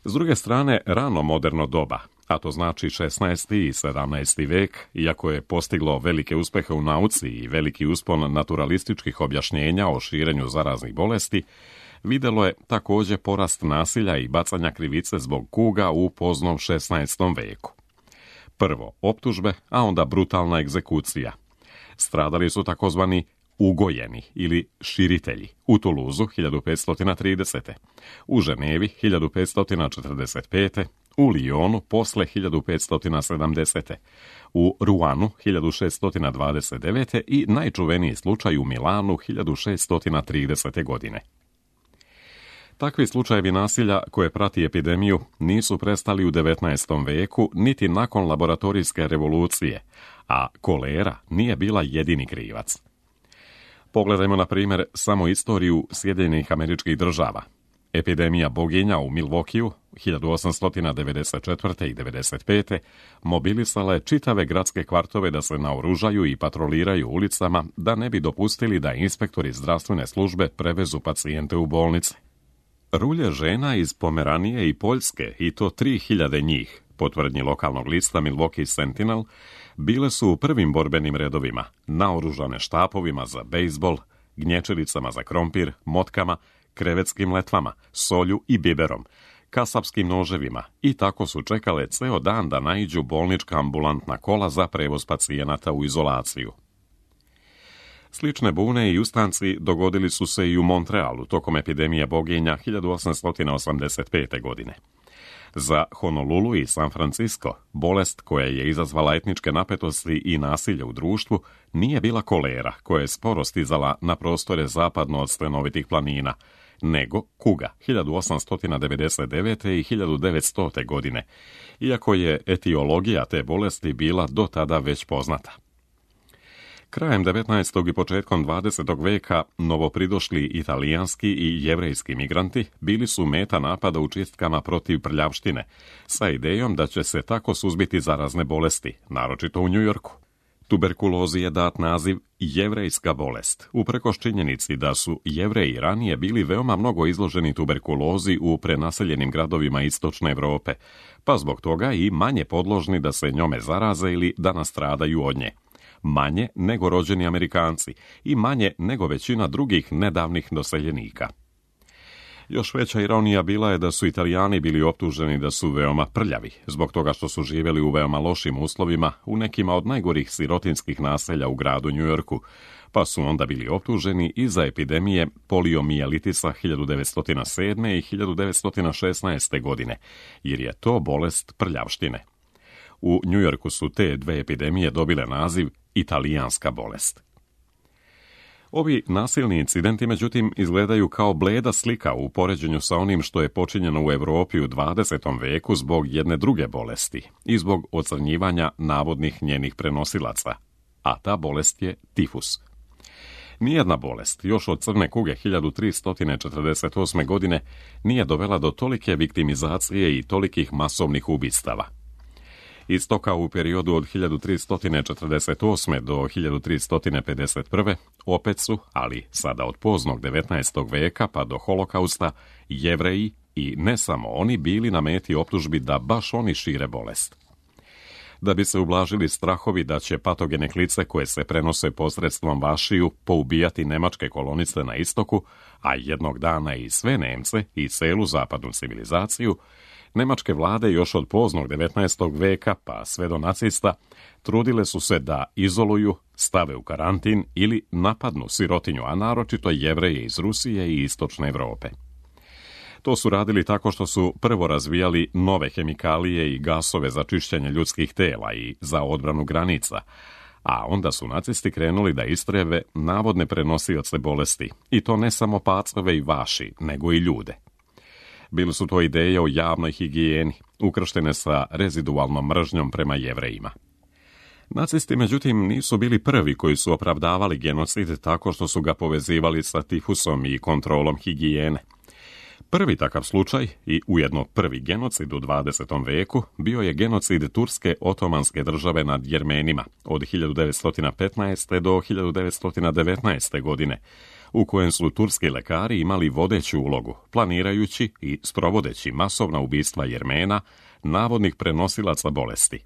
Speaker 1: S druge strane, rano moderno doba, a to znači 16. i 17. vek, iako je postiglo velike uspehe u nauci i veliki uspon naturalističkih objašnjenja o širenju zaraznih bolesti, vidjelo je također porast nasilja i bacanja krivice zbog kuga u poznom 16. veku. Prvo optužbe, a onda brutalna egzekucija. Stradali su takozvani ugojeni ili širitelji u Tuluzu 1530. u Ženevi 1545. u Lijonu posle 1570. u Ruanu 1629. i najčuveniji slučaj u Milanu 1630. godine. Takvi slučajevi nasilja koje prati epidemiju nisu prestali u 19. veku niti nakon laboratorijske revolucije, a kolera nije bila jedini krivac. Pogledajmo na primjer samo istoriju Sjedinjenih Američkih Država. Epidemija boginja u Milwaukeeu 1894. i 95. mobilisala je čitave gradske kvartove da se naoružaju i patroliraju ulicama da ne bi dopustili da inspektori zdravstvene službe prevezu pacijente u bolnice. Rulje žena iz Pomeranije i Poljske, i to 3000 njih, po tvrdnji lokalnog lista Milwaukee Sentinel, bile su u prvim borbenim redovima, naoružane štapovima za bejzbol, gnječelicama za krompir, motkama, krevetskim letvama, solju i biberom, kasapskim noževima i tako su čekale ceo dan da naiđu bolnička ambulantna kola za prevoz pacijenata u izolaciju. Slične bune i ustanci dogodili su se i u Montrealu tokom epidemije boginja 1885. godine. Za Honolulu i San Francisco, bolest koja je izazvala etničke napetosti i nasilje u društvu nije bila kolera koja je sporo stizala na prostore zapadno od stenovitih planina, nego kuga 1899. i 1900. godine, iako je etiologija te bolesti bila do tada već poznata. Krajem 19. i početkom 20. veka novopridošli italijanski i jevrejski migranti bili su meta napada u čistkama protiv prljavštine, sa idejom da će se tako suzbiti zarazne bolesti, naročito u Njujorku. Tuberkulozi je dat naziv jevrejska bolest, uprkos činjenici da su Jevreji ranije bili veoma mnogo izloženi tuberkulozi u prenaseljenim gradovima istočne Europe, pa zbog toga i manje podložni da se njome zaraze ili da nastradaju od nje. Manje nego rođeni Amerikanci i manje nego većina drugih nedavnih doseljenika. Još veća ironija bila je da su Italijani bili optuženi da su veoma prljavi, zbog toga što su živjeli u veoma lošim uslovima u nekima od najgorih sirotinskih naselja u gradu Njujorku, pa su onda bili optuženi i za epidemije poliomijelitisa 1907. i 1916. godine, jer je to bolest prljavštine. U Njujorku su te dve epidemije dobile naziv italijanska bolest. Ovi nasilni incidenti, međutim, izgledaju kao bleda slika u poređenju sa onim što je počinjeno u Europi u 20. veku zbog jedne druge bolesti i zbog ocrnjivanja navodnih njenih prenosilaca, a ta bolest je tifus. Nijedna bolest, još od crne kuge 1348. godine, nije dovela do tolike viktimizacije i tolikih masovnih ubistava. Istoka u periodu od 1348. do 1351. opet su, ali sada od poznog 19. veka pa do holokausta, Jevreji i ne samo oni bili na meti optužbi da baš oni šire bolest. Da bi se ublažili strahovi da će patogene klice koje se prenose posredstvom vašiju poubijati nemačke kolonice na istoku, a jednog dana i sve Nemce i celu zapadnu civilizaciju, nemačke vlade još od poznog 19. veka pa sve do nacista trudile su se da izoluju, stave u karantin ili napadnu sirotinju, a naročito Jevreje iz Rusije i istočne Evrope. To su radili tako što su prvo razvijali nove hemikalije i gasove za čišćenje ljudskih tela i za odbranu granica, a onda su nacisti krenuli da istrebe navodne prenosioce bolesti, i to ne samo pacove i vaši, nego i ljude. Bili su to ideje o javnoj higijeni, ukrštene sa rezidualnom mržnjom prema Jevrejima. Nacisti, međutim, nisu bili prvi koji su opravdavali genocid tako što su ga povezivali sa tifusom i kontrolom higijene. Prvi takav slučaj i ujedno prvi genocid u 20. veku bio je genocid Turske otomanske države nad Jermenima od 1915. do 1919. godine, u kojem su turski lekari imali vodeću ulogu, planirajući i sprovodeći masovna ubistva Jermena, navodnih prenosilaca bolesti.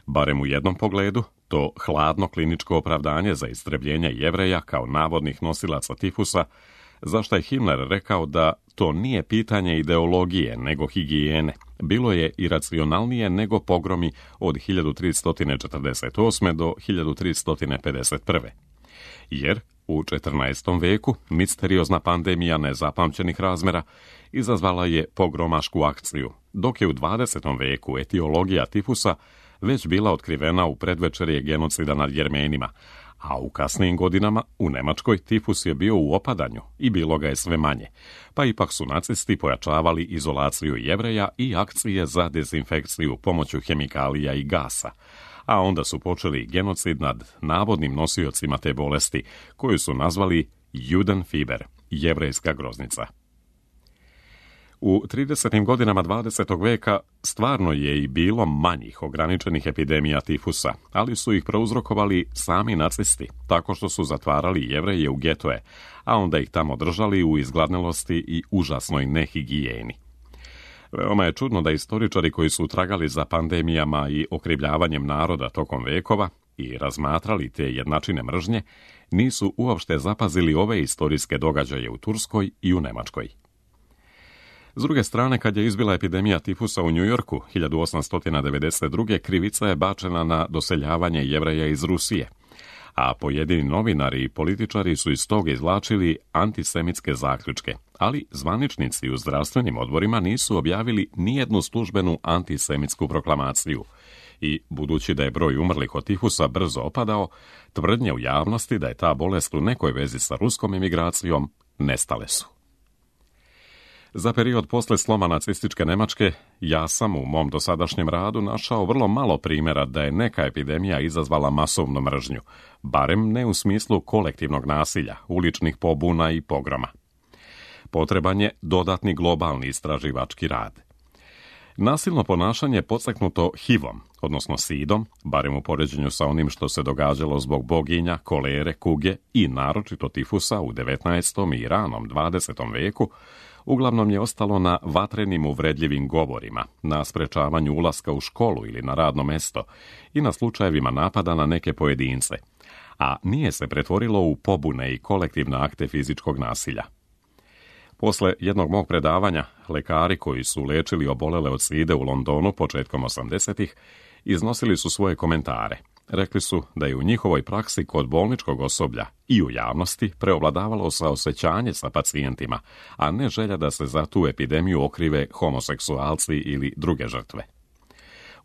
Speaker 1: Barem u jednom pogledu, to hladno kliničko opravdanje za istrebljenje Jevreja kao navodnih nosilaca tifusa, zašto je Himmler rekao da to nije pitanje ideologije nego higijene, bilo je iracionalnije nego pogromi od 1348. do 1351. Jer u 14. veku misteriozna pandemija nezapamćenih razmera izazvala je pogromašku akciju, dok je u 20. veku etiologija tifusa već bila otkrivena u predvečerje genocida nad Jermenima, a u kasnijim godinama u Nemačkoj tifus je bio u opadanju i bilo ga je sve manje, pa ipak su nacisti pojačavali izolaciju Jevreja i akcije za dezinfekciju pomoću hemikalija i gasa, a onda su počeli genocid nad navodnim nosiocima te bolesti, koju su nazvali Judenfieber, jevrejska groznica. U 30. godinama 20. veka stvarno je i bilo manjih ograničenih epidemija tifusa, ali su ih prouzrokovali sami nacisti, tako što su zatvarali Jevreje u getoje, a onda ih tamo držali u izgladnelosti i užasnoj nehigijeni. Veoma je čudno da istoričari koji su tragali za pandemijama i okrivljavanjem naroda tokom vekova i razmatrali te jednačine mržnje, nisu uopšte zapazili ove istorijske događaje u Turskoj i u Nemačkoj. S druge strane, kad je izbila epidemija tifusa u Njujorku 1892. krivica je bačena na doseljavanje Jevreja iz Rusije, a pojedini novinari i političari su iz toga izvlačili antisemitske zaključke, ali zvaničnici u zdravstvenim odborima nisu objavili nijednu službenu antisemitsku proklamaciju i, budući da je broj umrlih od tifusa brzo opadao, tvrdnje u javnosti da je ta bolest u nekoj vezi sa ruskom emigracijom nestale su. Za period posle sloma nacističke Nemačke, ja sam u mom dosadašnjem radu našao vrlo malo primjera da je neka epidemija izazvala masovnu mržnju, barem ne u smislu kolektivnog nasilja, uličnih pobuna i pogroma. Potreban je dodatni globalni istraživački rad. Nasilno ponašanje podstaknuto HIV-om, odnosno SIDom, barem u poređenju sa onim što se događalo zbog boginja, kolere, kuge i naročito tifusa u 19. i ranom 20. veku, uglavnom je ostalo na vatrenim uvredljivim govorima, na sprečavanju ulaska u školu ili na radno mesto i na slučajevima napada na neke pojedince, a nije se pretvorilo u pobune i kolektivne akte fizičkog nasilja. Posle jednog mog predavanja, lekari koji su lečili obolele od side u Londonu početkom 80-ih iznosili su svoje komentare. Rekli su da je u njihovoj praksi kod bolničkog osoblja i u javnosti preovladavalo saosećanje sa pacijentima, a ne želja da se za tu epidemiju okrive homoseksualci ili druge žrtve.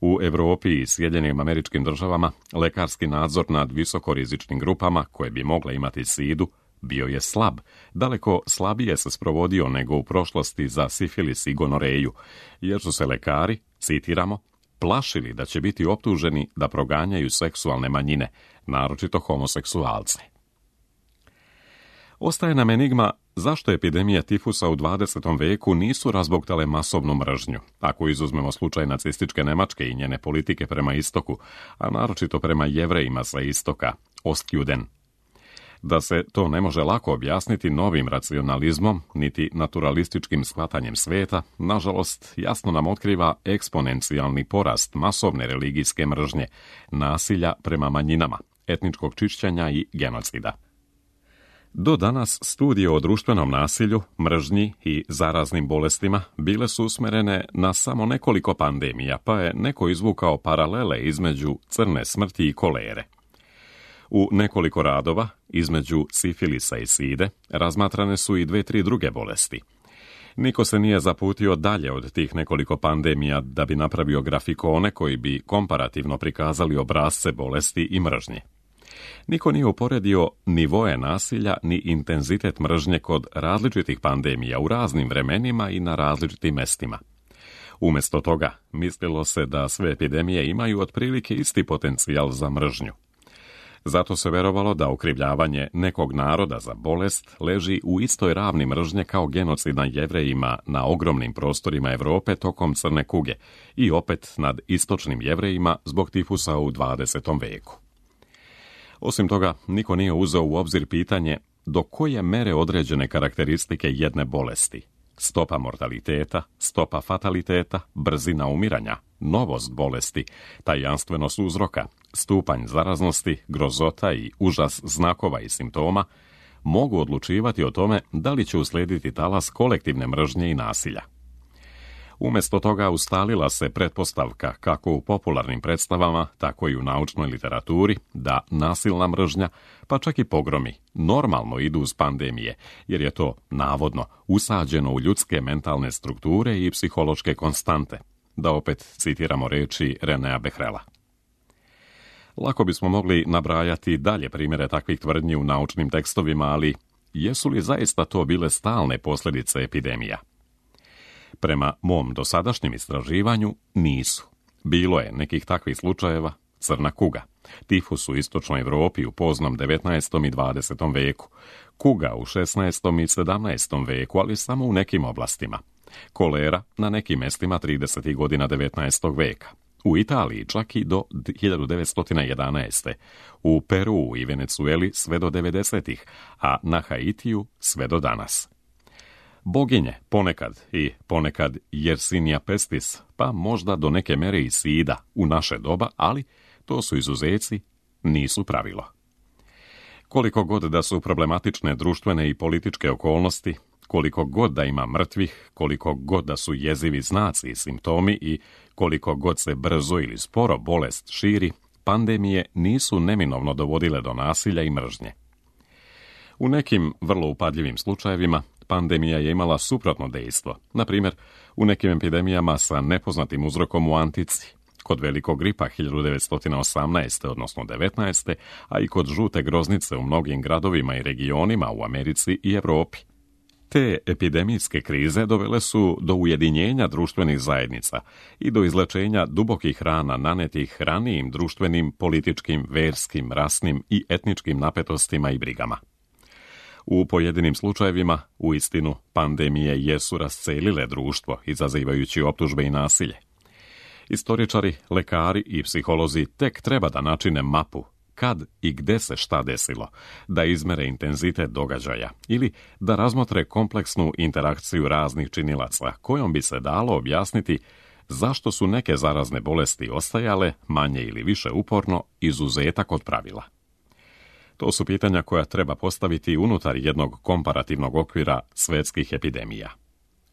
Speaker 1: U Evropi i Sjedinjenim Američkim Državama lekarski nadzor nad visokorizičnim grupama koje bi mogle imati sidu bio je slab, daleko slabije se sprovodio nego u prošlosti za sifilis i gonoreju, jer su se lekari, citiramo, plašili da će biti optuženi da proganjaju seksualne manjine, naročito homoseksualce. Ostaje nam enigma zašto epidemije tifusa u 20. veku nisu razboktale masovnu mržnju, ako izuzmemo slučaj nacističke Nemačke i njene politike prema istoku, a naročito prema Jevrejima sa istoka, Ostjuden. Da se to ne može lako objasniti novim racionalizmom, niti naturalističkim shvatanjem sveta, nažalost, jasno nam otkriva eksponencijalni porast masovne religijske mržnje, nasilja prema manjinama, etničkog čišćenja i genocida. Do danas studije o društvenom nasilju, mržnji i zaraznim bolestima bile su usmerene na samo nekoliko pandemija, pa je neko izvukao paralele između crne smrti i kolere. U nekoliko radova, između sifilisa i side, razmatrane su i 2-3 druge bolesti. Niko se nije zaputio dalje od tih nekoliko pandemija da bi napravio grafikone koji bi komparativno prikazali obrasce bolesti i mržnje. Niko nije uporedio nivoe nasilja ni intenzitet mržnje kod različitih pandemija u raznim vremenima i na različitim mestima. Umjesto toga, mislilo se da sve epidemije imaju otprilike isti potencijal za mržnju. Zato se verovalo da okrivljavanje nekog naroda za bolest leži u istoj ravni mržnje kao genocid nad Jevrejima na ogromnim prostorima Europe tokom crne kuge i opet nad istočnim Jevrejima zbog tifusa u 20. veku. Osim toga, niko nije uzeo u obzir pitanje do koje mere određene karakteristike jedne bolesti, stopa mortaliteta, stopa fataliteta, brzina umiranja, novost bolesti, tajanstvenost uzroka, stupanj zaraznosti, grozota i užas znakova i simptoma, mogu odlučivati o tome da li će uslijediti talas kolektivne mržnje i nasilja. Umjesto toga ustalila se pretpostavka kako u popularnim predstavama, tako i u naučnoj literaturi, da nasilna mržnja, pa čak i pogromi, normalno idu uz pandemije, jer je to, navodno, usađeno u ljudske mentalne strukture i psihološke konstante, da opet citiramo reči Renea Behrela. Lako bismo mogli nabrajati dalje primjere takvih tvrdnji u naučnim tekstovima, ali jesu li zaista to bile stalne posljedice epidemija? Prema mom dosadašnjem istraživanju nisu. Bilo je nekih takvih slučajeva, crna kuga, tifus u istočnoj Europi u poznom 19. i 20. veku, kuga u 16. i 17. veku, ali samo u nekim oblastima, kolera na nekim mestima 30. godina 19. veka, u Italiji čak i do 1911. U Peru i Venecueli sve do 90. a na Haitiju sve do danas. Boginje ponekad Yersinia pestis, pa možda do neke mere i sida u naše doba, ali to su izuzeci, nisu pravilo. Koliko god da su problematične društvene i političke okolnosti, koliko god da ima mrtvih, koliko god da su jezivi znaci i simptomi i koliko god se brzo ili sporo bolest širi, pandemije nisu neminovno dovodile do nasilja i mržnje. U nekim vrlo upadljivim slučajevima pandemija je imala suprotno dejstvo, na primjer u nekim epidemijama sa nepoznatim uzrokom u antici, kod velikog gripa 1918. odnosno 19. a i kod žute groznice u mnogim gradovima i regionima u Americi i Europi. Te epidemijske krize dovele su do ujedinjenja društvenih zajednica i do izlečenja dubokih rana nanetih ranijim društvenim, političkim, verskim, rasnim i etničkim napetostima i brigama. U pojedinim slučajevima, uistinu, pandemije jesu rascelile društvo, izazivajući optužbe i nasilje. Istoričari, lekari i psiholozi tek treba da načine mapu kad i gde se šta desilo, da izmere intenzitet događaja ili da razmotre kompleksnu interakciju raznih činilaca kojom bi se dalo objasniti zašto su neke zarazne bolesti ostajale, manje ili više uporno, izuzetak od pravila. To su pitanja koja treba postaviti unutar jednog komparativnog okvira svetskih epidemija.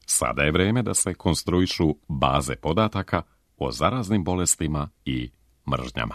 Speaker 1: Sada je vreme da se konstruišu baze podataka o zaraznim bolestima i mržnjama.